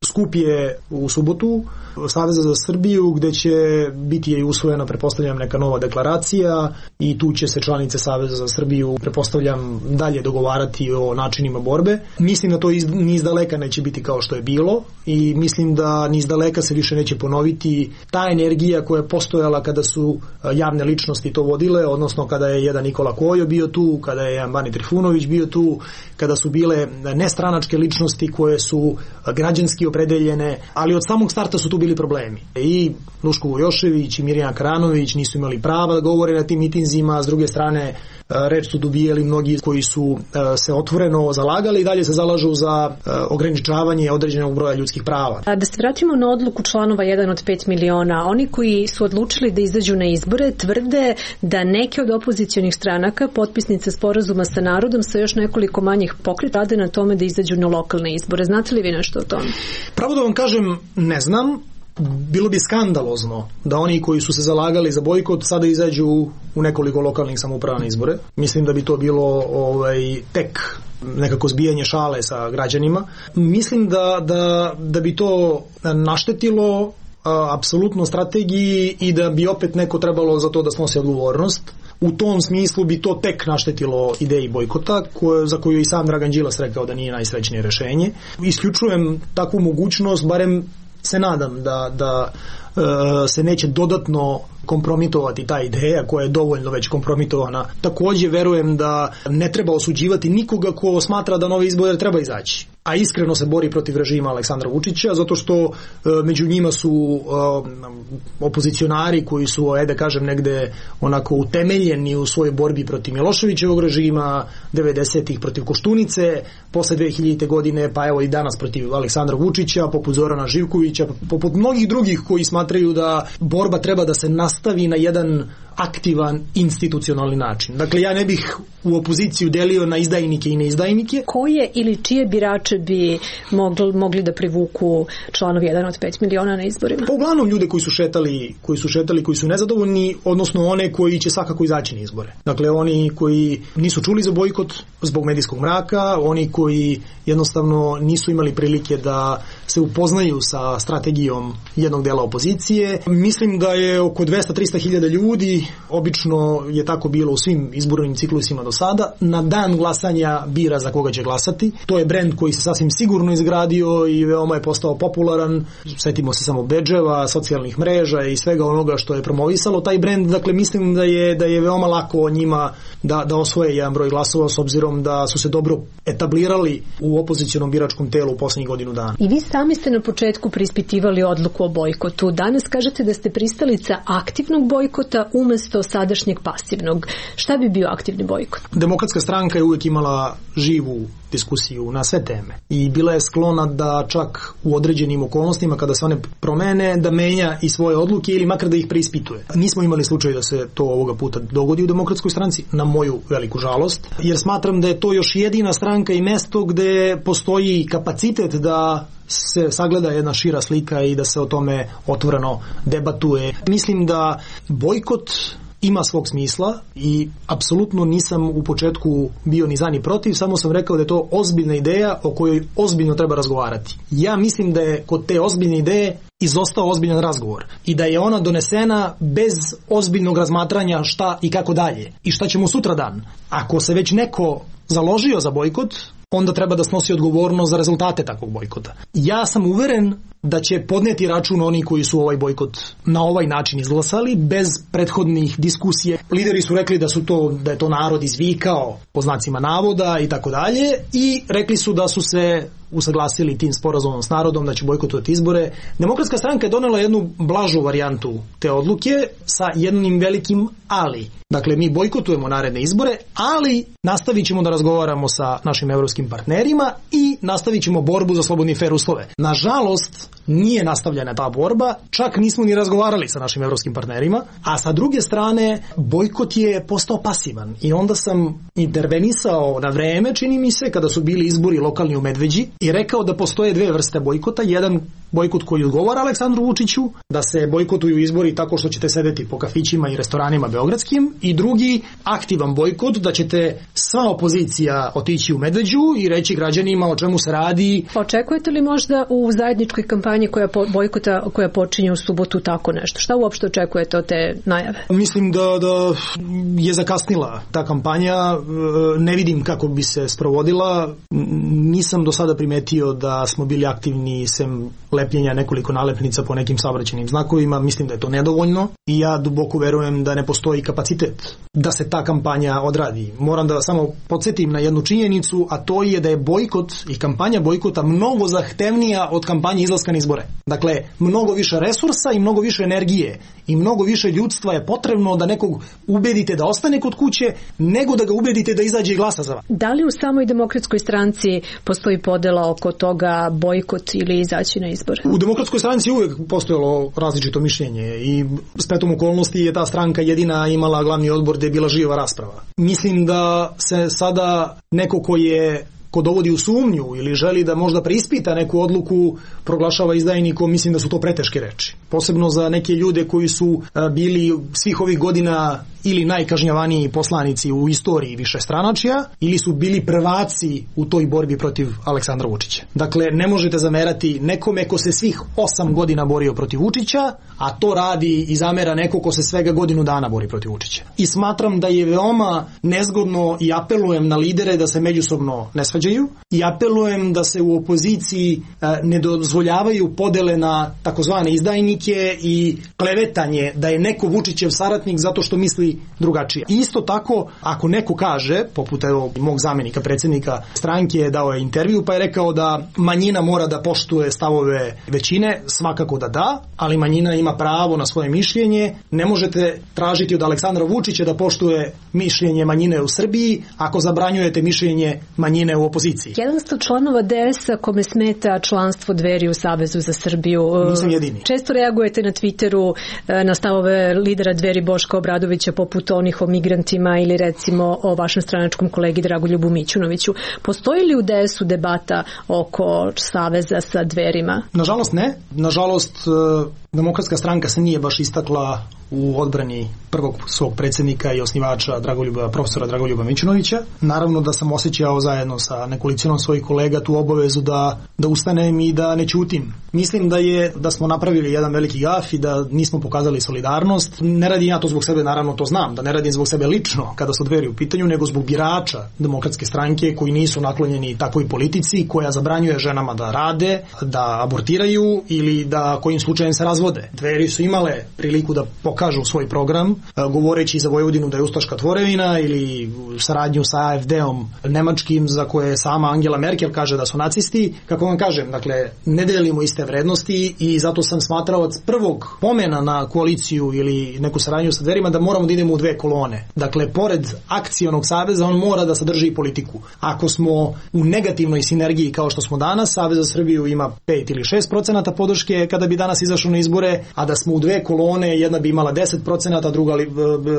Skup je u subotu Saveza za Srbiju, gde će biti usvojena, pretpostavljam, neka nova deklaracija, i tu će se članice Saveza za Srbiju, pretpostavljam, dalje dogovarati o načinima borbe. Mislim da to ni izdaleka neće biti kao što je bilo, i mislim da ni izdaleka se više neće ponoviti ta energija koja je postojala kada su javne ličnosti to vodile, odnosno kada je jedan Nikola Kojo bio tu, kada je jedan Bani Trifunović bio tu, kada su bile nestranačke ličnosti koje su građanski opredeljene, ali od samog starta su tu bili problemi. I Duško Vujošević i Mirjana Karanović nisu imali prava da govore na tim mitinzima, a s druge strane reč su dobijali mnogi koji su se otvoreno zalagali i dalje se zalažu za ograničavanje određenog broja ljudskih prava. Da se vratimo na odluku članova 1 od 5 miliona. Oni koji su odlučili da izađu na izbore tvrde da neke od opozicionih stranaka, potpisnice sporazuma sa narodom, sa još nekoliko manjih pokreta, rade na tome da izađu na lokalne izbore. Znate li vi nešto o tome? Pravo da vam kažem, ne znam. Bilo bi skandalozno da oni koji su se zalagali za bojkot sada izađu u nekoliko lokalnih samouprava na izbore. Mislim da bi to bilo tek nekako zbijanje šale sa građanima. Mislim da bi to naštetilo apsolutno strategiji i da bi opet neko trebalo za to da snosi odgovornost. U tom smislu bi to tek naštetilo ideji bojkota, za koju i sam Dragan Đilas rekao da nije najsrećnije rešenje. Isključujem takvu mogućnost, barem se nadam da se neće dodatno kompromitovati ta ideja koja je dovoljno već kompromitovana. Također verujem da ne treba osuđivati nikoga ko smatra da nove izbore treba izaći, a iskreno se bori protiv režima Aleksandra Vučića, zato što među njima su opozicionari koji su, da kažem, negde onako utemeljeni u svojoj borbi protiv Miloševićevog režima, 90-ih protiv Koštunice, posle 2000. godine, pa evo i danas protiv Aleksandra Vučića, poput Zorana Živkovića, poput mnogih drugih koji smatraju da borba treba da se nastavi na jedan aktivan institucionalni način. Dakle, ja ne bih u opoziciju delio na izdajnike i neizdajnike. Koje ili čije birače bi mogli da privuku članovi 1 od 5 miliona na izborima? Pa uglavnom ljude koji su šetali, koji su nezadovoljni, odnosno one koji će svakako izaći na izbore. Dakle, oni koji nisu čuli za bojkot zbog medijskog mraka, oni koji jednostavno nisu imali prilike da se upoznaju sa strategijom jednog dela opozicije. Mislim da je oko 200-300 hiljada ljudi, obično je tako bilo u svim izbornim ciklusima do sada, na dan glasanja bira za koga će glasati. To je brend koji se sasvim sigurno izgradio i veoma je postao popularan. Sjetimo se samo bedževa, socijalnih mreža i svega onoga što je promovisalo taj brend. Dakle, mislim da je veoma lako njima da osvoje jedan broj glasova, s obzirom da su se dobro etablirali u opozicionom biračkom telu u posljednjih godinu dana. I vi sami ste na početku preispitivali odluku o bojkotu. Danas kažete da ste pristalica aktivnog bojkota umesto sadašnjeg pasivnog. Šta bi bio aktivni bojkot? Demokratska stranka je uvijek imala živu diskusiju na sve teme i bila je sklona da čak u određenim okolnostima, kada se one promene, da menja i svoje odluke ili makar da ih preispituje. Nismo imali slučaj da se to ovoga puta dogodi u Demokratskoj stranci, na moju veliku žalost, jer smatram da je to još jedina stranka i mesto gde postoji kapacitet da se sagleda jedna šira slika i da se o tome otvoreno debatuje. Mislim da bojkot ima svog smisla i apsolutno nisam u početku bio ni za ni protiv, samo sam rekao da je to ozbiljna ideja o kojoj ozbiljno treba razgovarati. Ja mislim da je kod te ozbiljne ideje izostao ozbiljan razgovor i da je ona donesena bez ozbiljnog razmatranja šta i kako dalje i šta ćemo sutra dan. Ako se već neko založio za bojkot, onda treba da snosi odgovornost za rezultate takvog bojkota. Ja sam uveren da će podneti račun oni koji su ovaj bojkot na ovaj način izglasali bez prethodnih diskusije. Lideri su rekli da je to narod izvikao po znacima navoda i tako dalje i rekli su da su se usaglasili tim sporazumom s narodom da će bojkotovati izbore. Demokratska stranka je donela jednu blažu varijantu te odluke sa jednim velikim ali. Dakle, mi bojkotujemo naredne izbore, ali nastavit ćemo da razgovaramo sa našim evropskim partnerima i nastavit ćemo borbu za slobodne i fer uslove. Nažalost, nije nastavljena ta borba, čak nismo ni razgovarali sa našim evropskim partnerima, a sa druge strane, bojkot je postao pasivan i onda sam intervenisao na vreme, čini mi se, kada su bili izbori lokalni u Medveđi i rekao da postoje dve vrste bojkota. Jedan bojkot koji odgovara Aleksandru Vučiću, da se bojkotuju izbori tako što ćete sedeti po kafićima i restoranima beogradskim, i drugi aktivan bojkot, da ćete sva opozicija otići u Medveđu i reći građanima o čemu se radi. Očekujete li možda u zajedničkoj kampanji bojkota koja počinje u subotu tako nešto? Šta uopšte očekujete od te najave? Mislim da je zakasnila ta kampanja, ne vidim kako bi se sprovodila, nisam do sada primetio da smo bili aktivni sem lepljenja nekoliko nalepnica po nekim saobraćajnim znakovima, mislim da je to nedovoljno i ja duboko verujem da ne postoji kapacitet da se ta kampanja odradi. Moram da samo podsjetim na jednu činjenicu, a to je da je bojkot i kampanja bojkota mnogo zahtevnija od kampanje izlaska na izbore. Dakle, mnogo više resursa i mnogo više energije i mnogo više ljudstva je potrebno da nekog ubedite da ostane kod kuće, nego da ga ubedite da izađe i glasa za vas. Da li u samoj Demokratskoj stranci postoji podela oko toga bojkot ili izaći na izbore? U Demokratskoj stranci uvijek postojalo različito mišljenje i spletom okolnosti je ta stranka jedina imala glavni odbor gdje je bila živa rasprava. Mislim da se sada neko ko dovodi u sumnju ili želi da možda preispita neku odluku proglašava izdajnikom, mislim da su to preteške reči. Posebno za neke ljude koji su bili svih ovih godina ili najkažnjavaniji poslanici u istoriji višestranačja ili su bili prvaci u toj borbi protiv Aleksandra Vučića. Dakle, ne možete zamerati nekome ko se svih 8 godina borio protiv Vučića, a to radi i zamera neko ko se svega godinu dana bori protiv Vučića. I smatram da je veoma nezgodno i apelujem na lidere da se međusobno ne svađaju i apelujem da se u opoziciji ne dozvoljavaju podele na takozvane izdajnike i klevetanje da je neko Vučićev saradnik zato što misli drugačije. Isto tako, ako neko kaže, poput mog zamenika predsjednika stranke, dao je intervju pa je rekao da manjina mora da poštuje stavove većine, svakako da, ali manjina ima pravo na svoje mišljenje. Ne možete tražiti od Aleksandra Vučića da poštuje mišljenje manjine u Srbiji ako zabranjujete mišljenje manjine u opoziciji. Jedan ste članova DS-a kome smeta članstvo Dveri u Savezu za Srbiju. Nisam jedini. Često reagujete na Twitteru na stavove lidera Dveri Boška Obradovića poput onih o migrantima ili recimo o vašem stranačkom kolegi Dragoljubu Mićunoviću. Postoji li u DS-u debata oko saveza sa Dverima? Nažalost ne. Nažalost, Demokratska stranka se nije baš istakla u odbrani prvog svog predsjednika i osnivača profesora Dragoljuba Mićunovića. Naravno da sam osjećao zajedno sa nekolicinom svojih kolega tu obavezu da ustanem i da ne ćutim. Mislim da smo napravili jedan veliki gaf i da nismo pokazali solidarnost. Ne radim ja to zbog sebe, naravno to znam, da ne radim zbog sebe lično kada su Dveri u pitanju, nego zbog birača Demokratske stranke koji nisu naklonjeni takvoj politici koja zabranjuje ženama da rade, da abortiraju ili da kojim slučajem se razvode. Dveri su imale priliku da pokažu svoj program, govoreći za Vojvodinu da je ustaška tvorevina ili saradnju sa AfD-om nemačkim za koje sama Angela Merkel kaže da su nacisti. Kako vam kažem, dakle, ne delimo iste vrednosti i zato sam smatrao od prvog pomena na koaliciju ili neku saradnju sa Dverima da moramo da idemo u dve kolone. Dakle, pored akcionog saveza on mora da sadrži i politiku. Ako smo u negativnoj sinergiji kao što smo danas, Savez za Srbiju ima 5 ili 6% podrške kada bi danas izašao na izbore, izbore, a da smo u dve kolone, jedna bi imala 10%, druga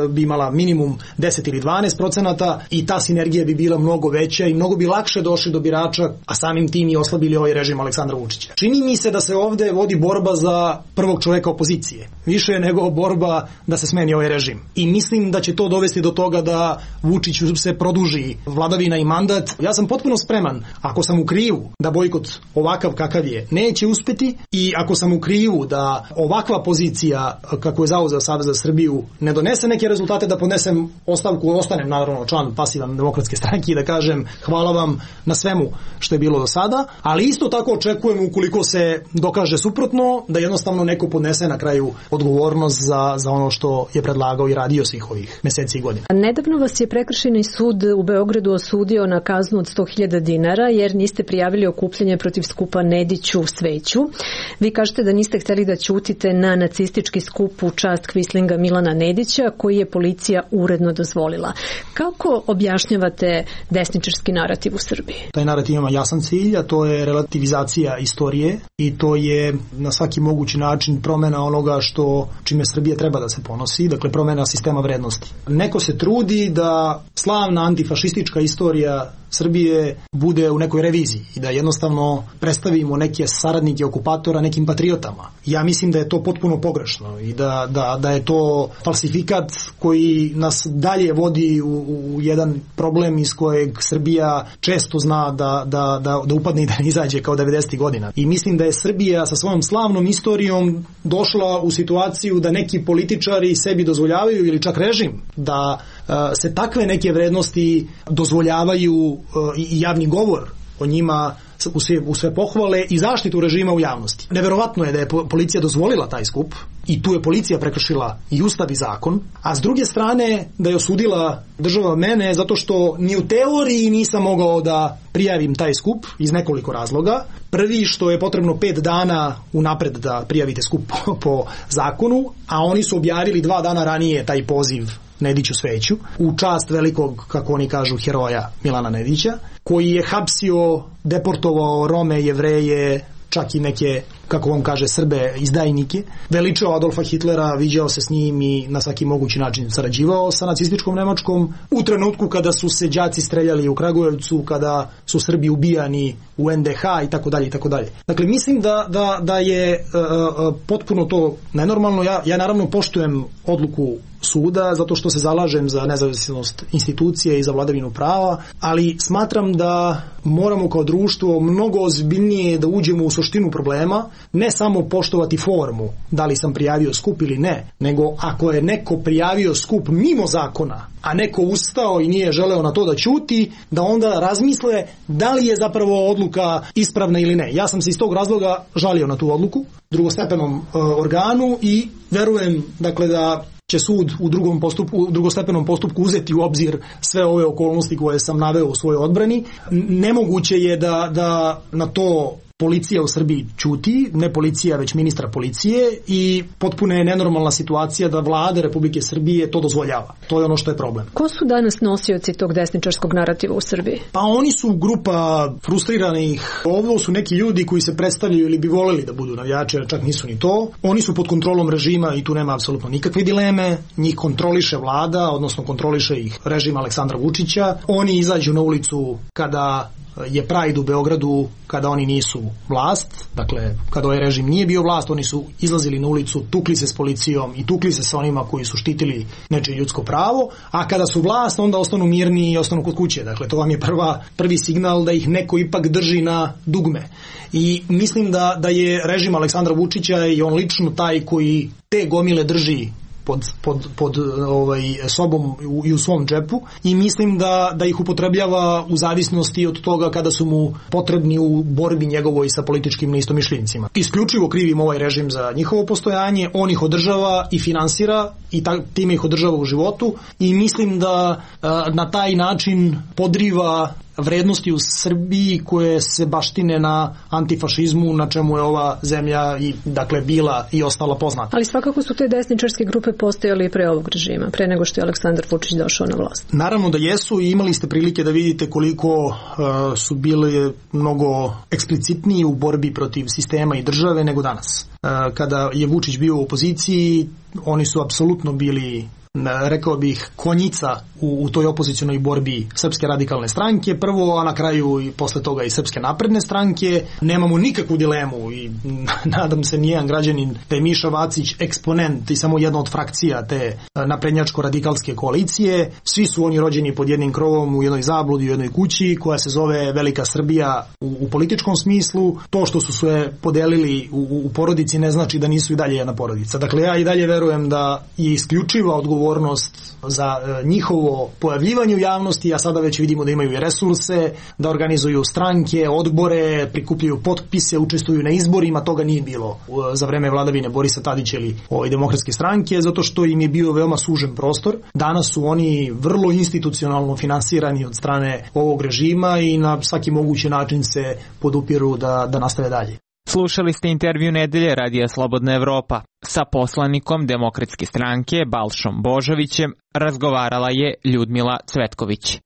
bi imala minimum 10 ili 12% i ta sinergija bi bila mnogo veća i mnogo bi lakše došli do birača, a samim tim i oslabili ovaj režim Aleksandra Vučića. Čini mi se da se ovde vodi borba za prvog čoveka opozicije, više nego borba da se smeni ovaj režim. I mislim da će to dovesti do toga da Vučiću se produži vladavina i mandat. Ja sam potpuno spreman, ako sam u krivu da bojkot ovakav kakav je neće uspeti i ako sam u krivu da ovakva pozicija kako je zauzeo Savez za Srbiju ne donese neke rezultate, da podnesem ostavku, ostanem naravno član pasivan Demokratske stranke i da kažem hvala vam na svemu što je bilo do sada, ali isto tako očekujem ukoliko se dokaže suprotno da jednostavno neko podnese na kraju odgovornost za ono što je predlagao i radio svih ovih meseci i godina. Nedavno vas je Prekršajni sud u Beogradu osudio na kaznu od 100.000 dinara jer niste prijavili okupljanje protiv skupa Nediću Sveću. Vi kažete da niste hteli da ćutite na nacistički skup u čast kvislinga Milana Nedića koji je policija uredno dozvolila. Kako objašnjavate desničarski narativ u Srbiji? Taj narativ ima jasan cilj, a to je relativizacija istorije i to je na svaki mogući način promena onoga čime Srbija treba da se ponosi, dakle promena sistema vrednosti. Neko se trudi da slavna antifašistička istorija Srbije bude u nekoj reviziji i da jednostavno predstavimo neke saradnike okupatora nekim patriotama. Ja mislim da je to potpuno pogrešno i da je to falsifikat koji nas dalje vodi u jedan problem iz kojeg Srbija često zna da upadne i da ne izađe kao 90. godina. I mislim da je Srbija sa svojom slavnom istorijom došla u situaciju da neki političari sebi dozvoljavaju ili čak režim da se takve neke vrednosti dozvoljavaju i javni govor o njima u sve pohvale i zaštitu režima u javnosti. Neverovatno je da je policija dozvolila taj skup i tu je policija prekršila i ustav i zakon, a s druge strane da je osudila država mene zato što ni u teoriji nisam mogao da prijavim taj skup iz nekoliko razloga. Prvi što je potrebno 5 dana unapred da prijavite skup po zakonu, a oni su objavili 2 dana ranije taj poziv Nediću Sveću, u čast velikog, kako oni kažu, heroja Milana Nedića, koji je hapsio, deportovao Rome, Jevreje, čak i neke, kako on kaže, Srbe, izdajnike, veličao Adolfa Hitlera, viđao se s njim i na svaki mogući način sarađivao sa nacističkom Nemačkom. U trenutku kada su se đaci streljali u Kragujevcu, kada su Srbi ubijani u NDH i tako dalje i tako dalje. Dakle, mislim da je potpuno to nenormalno. Ja naravno poštujem odluku suda zato što se zalažem za nezavisnost institucije i za vladavinu prava, ali smatram da moramo kao društvo mnogo ozbiljnije da uđemo u suštinu problema, ne samo poštovati formu, da li sam prijavio skup ili ne, nego ako je neko prijavio skup mimo zakona, a neko ustao i nije želeo na to da ćuti, da onda razmisle da li je zapravo odluka ispravna ili ne. Ja sam se iz tog razloga žalio na tu odluku drugostepenom organu i verujem dakle da će sud u drugostepenom postupku uzeti u obzir sve ove okolnosti koje sam naveo u svojoj odbrani. Nemoguće je da na to policija u Srbiji ćuti, ne policija već ministar policije, i potpuno je nenormalna situacija da vlada Republike Srbije to dozvoljava. To je ono što je problem. Ko su danas nosioci tog desničarskog narativa u Srbiji? Pa oni su grupa frustriranih. Ovo su neki ljudi koji se predstavljaju ili bi voleli da budu navijači, a čak nisu ni to. Oni su pod kontrolom režima i tu nema apsolutno nikakve dileme. Njih kontroliše vlada, odnosno kontroliše ih režim Aleksandra Vučića. Oni izađu na ulicu kada je Pride u Beogradu, kada oni nisu vlast, dakle kada ovaj režim nije bio vlast, oni su izlazili na ulicu, tukli se s policijom i tukli se sa onima koji su štitili nečije ljudsko pravo, a kada su vlast onda ostanu mirni i ostanu kod kuće. Dakle to vam je prvi signal da ih neko ipak drži na dugme. I mislim da je režim Aleksandra Vučića i on lično taj koji te gomile drži pod sobom i u svom džepu, i mislim da ih upotrebljava u zavisnosti od toga kada su mu potrebni u borbi njegovoj sa političkim neistomišljenicima. Isključivo krivim ovaj režim za njihovo postojanje, on ih održava i finansira i time ih održava u životu, i mislim da na taj način podriva vrednosti u Srbiji koje se baštine na antifašizmu, na čemu je ova zemlja i dakle bila i ostala poznata. Ali svakako su te desničarske grupe postojale i pre ovog režima, pre nego što je Aleksandar Vučić došao na vlast. Naravno da jesu i imali ste prilike da vidite koliko su bili mnogo eksplicitniji u borbi protiv sistema i države nego danas. Kada je Vučić bio u opoziciji, oni su apsolutno bili, rekao bih, konjica u toj opozicionoj borbi Srpske radikalne stranke prvo, a na kraju i posle toga i Srpske napredne stranke. Nemamo nikakvu dilemu i nadam se nijedan građanin da je Miša Vacić eksponent i samo jedna od frakcija te naprednjačko-radikalske koalicije. Svi su oni rođeni pod jednim krovom u jednoj zabludi, u jednoj kući koja se zove Velika Srbija u političkom smislu. To što su se podelili u porodici ne znači da nisu i dalje jedna porodica. Dakle, ja i dalje verujem da je isključiva odgovornost za njihovo pojavljivanje u javnosti, a sada već vidimo da imaju i resurse, da organizuju stranke, odbore, prikupljaju potpise, učestvuju na izborima. Toga nije bilo za vreme vladavine Borisa Tadića ili Demokratske stranke, zato što im je bio veoma sužen prostor. Danas su oni vrlo institucionalno finansirani od strane ovog režima i na svaki mogući način se podupiru da nastave dalje. Slušali ste intervju nedelje Radija Slobodna Evropa. Sa poslanikom Demokratske stranke Balšom Božovićem razgovarala je Ljudmila Cvetković.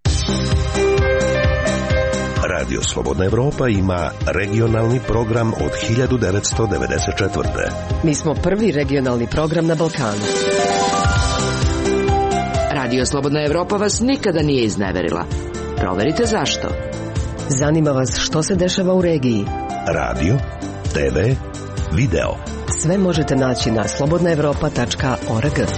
Radio Slobodna Evropa ima regionalni program od 1994. Mi smo prvi regionalni program na Balkanu. Radio Slobodna Evropa vas nikada nije izneverila. Proverite zašto. Zanima vas što se dešava u regiji. Radio, TV, video. Sve možete naći na slobodnaevropa.org.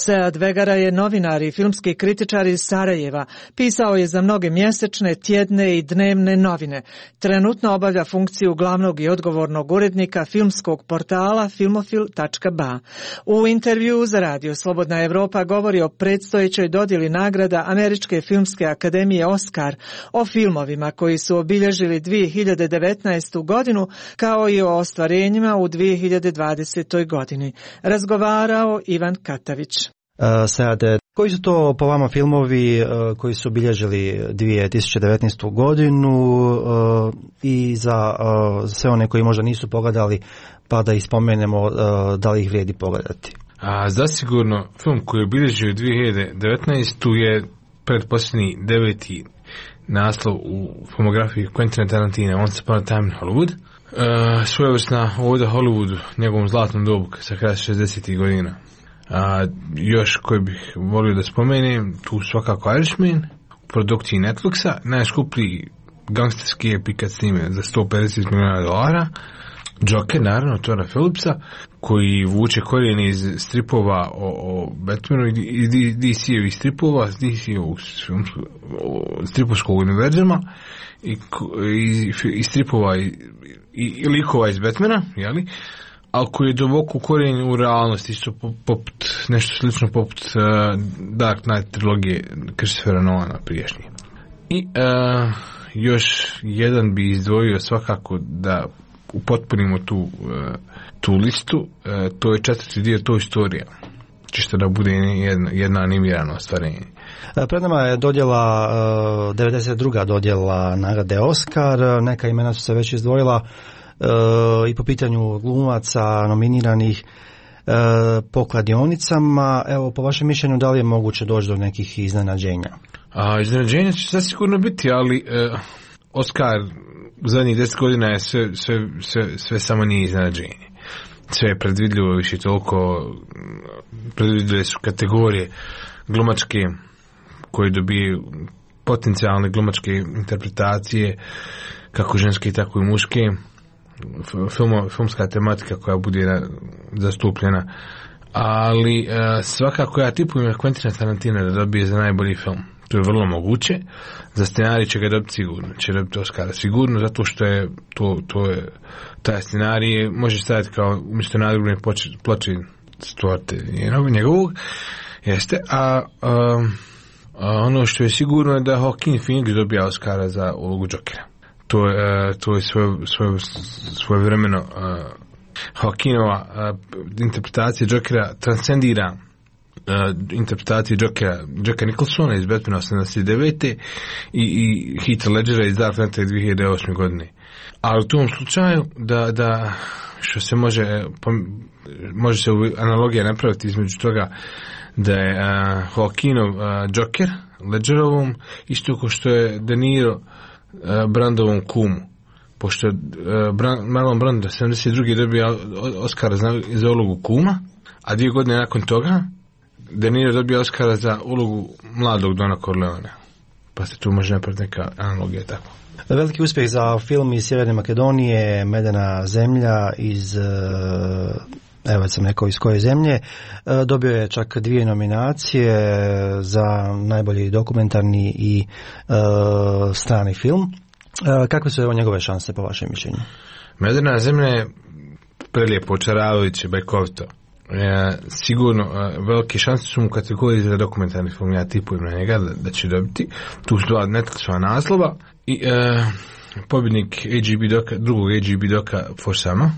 Sead Vegara je novinar i filmski kritičar iz Sarajeva. Pisao je za mnoge mjesečne, tjedne i dnevne novine. Trenutno obavlja funkciju glavnog i odgovornog urednika filmskog portala filmofil.ba. U intervjuu za Radio Slobodna Evropa govori o predstojećoj dodjeli nagrada Američke filmske akademije Oscar, o filmovima koji su obilježili 2019. godinu, kao i o ostvarenjima u 2020. godini. Razgovarao Ivan Katavić. Seade, koji su to po vama filmovi koji su obilježili 2019. godinu i za sve one koji možda nisu pogledali, pa da ispomenemo da li ih vrijedi pogledati? Zasigurno film koji je obilježio 2019. je pretposljednji 9. naslov u filmografiji Quentina Tarantina, Once Upon a Time in Hollywood. Svojevrsna oda Hollywoodu, njegovom zlatnom dobu sa kraja 60. godina. Još koji bih volio da spomenem, tu svakako Irishman, u produkciji Netflixa, najskuplji gangsterski epik snime za $150 miliona, Joker, naravno, Toda Phillipsa, koji vuče korijene iz stripova o Batmanu i DC-evih stripova, DC-evog stripovskog univerzuma i stripova i likova iz Batmana, jeli? Ali koji je duboko ukorijenjen u realnosti, isto poput, nešto slično poput Dark Knight trilogije Christophera Nolana priješnje. I još jedan bi izdvojio svakako da upotpunimo tu listu, to je 4. dio Toy Storija, čisto da bude jedna animirana ostvarenje. Pred nama je dodjela, 92. dodjela nagrade Oscar, neka imena su se već izdvojila i po pitanju glumaca nominiranih po kladionicama. Evo, po vašem mišljenju, da li je moguće doći do nekih iznenađenja? Iznenađenja će zasigurno biti, ali Oscar u zadnjih 10 godina je sve samo nije iznenađenje. Sve je predvidljivo, više toliko predvidljive su kategorije glumačke koje dobiju potencijalne glumačke interpretacije, kako ženske tako i muške. Filmska tematika koja bude zastupljena, ali svakako ja tipujem Quentina Tarantina da dobije za najbolji film. To je vrlo moguće. Za scenarij će ga dobiti sigurno, će dobiti Oscara sigurno, zato što je taj scenarij može staviti kao umjesto nadgrobne ploče Stuarta njegovog, jeste, a ono što je sigurno je da Joaquin Phoenix dobija Oscara za ulogu Jokera. To je svojevremeno Joaquinova interpretacija Jokera transcendira interpretacije Jacka Nicholsona iz Batmana 89. i Heath Ledgera iz Dark Knighta 2008. godine. Ali u tom slučaju da što se može se analogija napraviti između toga da je Joaquinov Joker Ledgerovom isto kao što je De Niro Brandovom kumu, pošto je Marlon Brando 72. dobio Oscara za ulogu kuma, a 2 godine nakon toga De Niro dobio Oscara za ulogu mladog Dona Corleonea, pa se tu može napraviti neka analogija tako. Veliki uspjeh za film iz Sjeverne Makedonije, Medena zemlja iz, evo sam rekao iz koje zemlje, dobio je čak 2 nominacije za najbolji dokumentarni i strani film. Kakve su njegove šanse po vašem mišljenju? Medena zemlja je prelijepo, očaravajuće, bajkovito. Sigurno velike šanse su mu u kategoriji za dokumentarni film, ja tipujem na njega da će dobiti. Tu su 2 Netflixova naslova i pobjednik drugog AGB doka Forsama,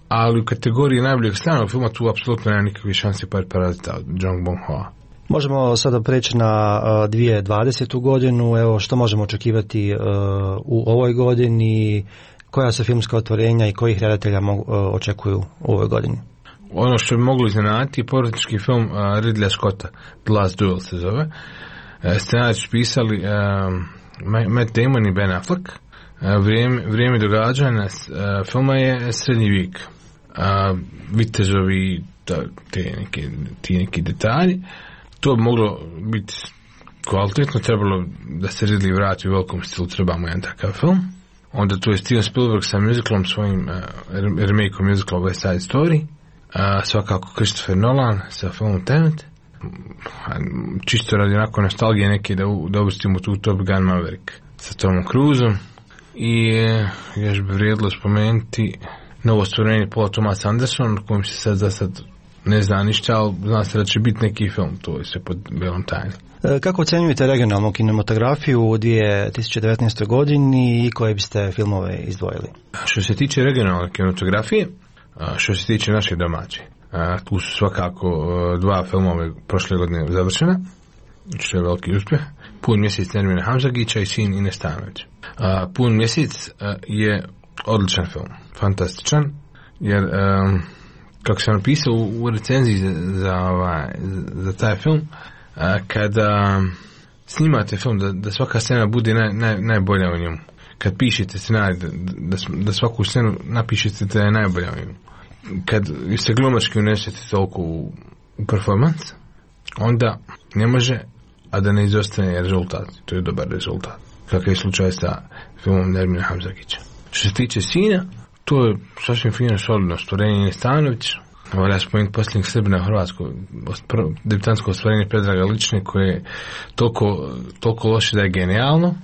ali u kategoriji najboljeg stranog filma tu apsolutno nema nikakve šanse par Parazita od Jong Bong-hoa. Možemo sada preći na 2020. godinu, evo što možemo očekivati u ovoj godini, koja su filmska otvorenja i kojih redatelja očekuju u ovoj godini? Ono što bi moglo iznenaditi je porodički film Ridleya Scotta, The Last Duel se zove. Scenarij su pisali Matt Damon i Ben Affleck. Vrijeme događanja filma je srednji vijek. Vitezovi, ti neki detalji. To bi moglo biti kvalitetno, trebalo da se Ridley vrati u velikom stilu, trebamo jedan takav film. Onda tu je Steven Spielberg sa musicalom svojim remake-om musicala West Side Story. Svakako Christopher Nolan sa filmom Tenet. Čisto radi onako nostalgije neke da uvrstimo tu Top Gun Maverick sa Tomom Cruiseom. I još bi vrijedilo spomenuti novo stvorenje Paula Thomas Anderson, kojim se sad ne zna ništa, ali zna se da će biti neki film, to je sve pod belom tajnom. Kako ocenjujete regionalnu kinematografiju u 2019. godini i koje biste filmove izdvojili? Što se tiče regionalne kinematografije, što se tiče naše domaće, tu su svakako 2 filmove prošle godine završena, što je veliki uspjeh. Pun mjesec Nermina Hamzagića i Sin Ines Stanović. Pun mjesec je odličan film, fantastičan, jer kako sam napisao u recenziji za taj film, kada snimate film da svaka scena bude najbolja u njemu, kad pišete scenarij da svaku scenu napišete da je najbolja u njemu, kad se glumački unesete toliko u performans, onda ne može a da ne izostane rezultat. To je dobar rezultat, kakav je slučaj sa filmom Nermina Hamzagića. Što se tiče Sina, to je sasvim fino solidno stvorenje Ines Stanović. Valja spomenuti posljednjeg Srbina u Hrvatskoj, debitansko ostvarenje Predraga Lične, koje je toliko loše da je genijalno.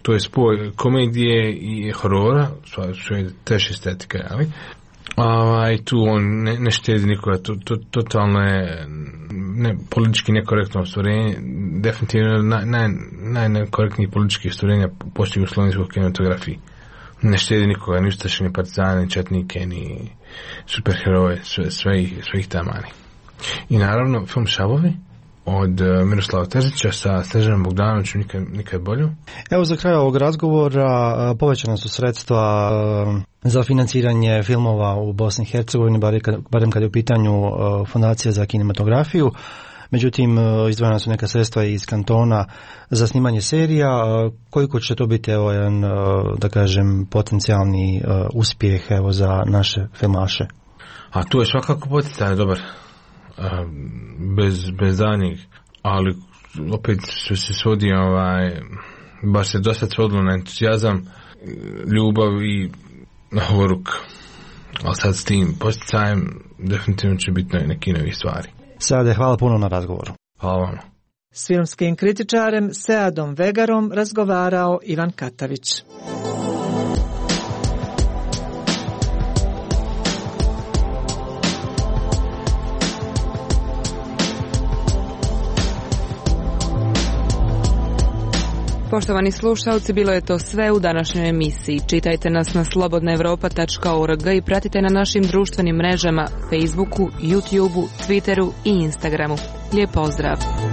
To je spoj komedije i horora, što je teš estetika, ali tu on ne štedi nikoga, totalno je politički nekorektno ostvarenje, definitivno najnekorektnijih političkih ostvarenja poslije u slovenskoj kinematografiji. Ne štedi nikoga, ni ustaše, ni partizane, ni četnike, ni superheroje, sve ih tamani. I naravno film Šavovi od Miroslava Terzića sa Snežanom Bogdanovićem nikad bolju. Evo za kraj ovog razgovora povećana su sredstva za financiranje filmova u Bosni i Hercegovini, barem kad je u pitanju Fondacija za kinematografiju. Međutim, izdvojena su neka sredstva iz kantona za snimanje serija. Koliko će to biti jedan, da kažem, potencijalni uspjeh evo za naše filmaše? A tu je svakako potencijalno dobar, bez danjih, ali opet što se svodi, baš se dosta svodilo na entuzijazam, ljubav i na horuk. Ali sad s tim posticajem definitivno će biti neki novi stvari. Seade, hvala puno na razgovoru. Hvala vam. S filmskim kritičarem Seadom Vegarom razgovarao Ivan Katavić. Poštovani slušalci, bilo je to sve u današnjoj emisiji. Čitajte nas na slobodnaevropa.org i pratite na našim društvenim mrežama, Facebooku, YouTubeu, Twitteru i Instagramu. Lijep pozdrav!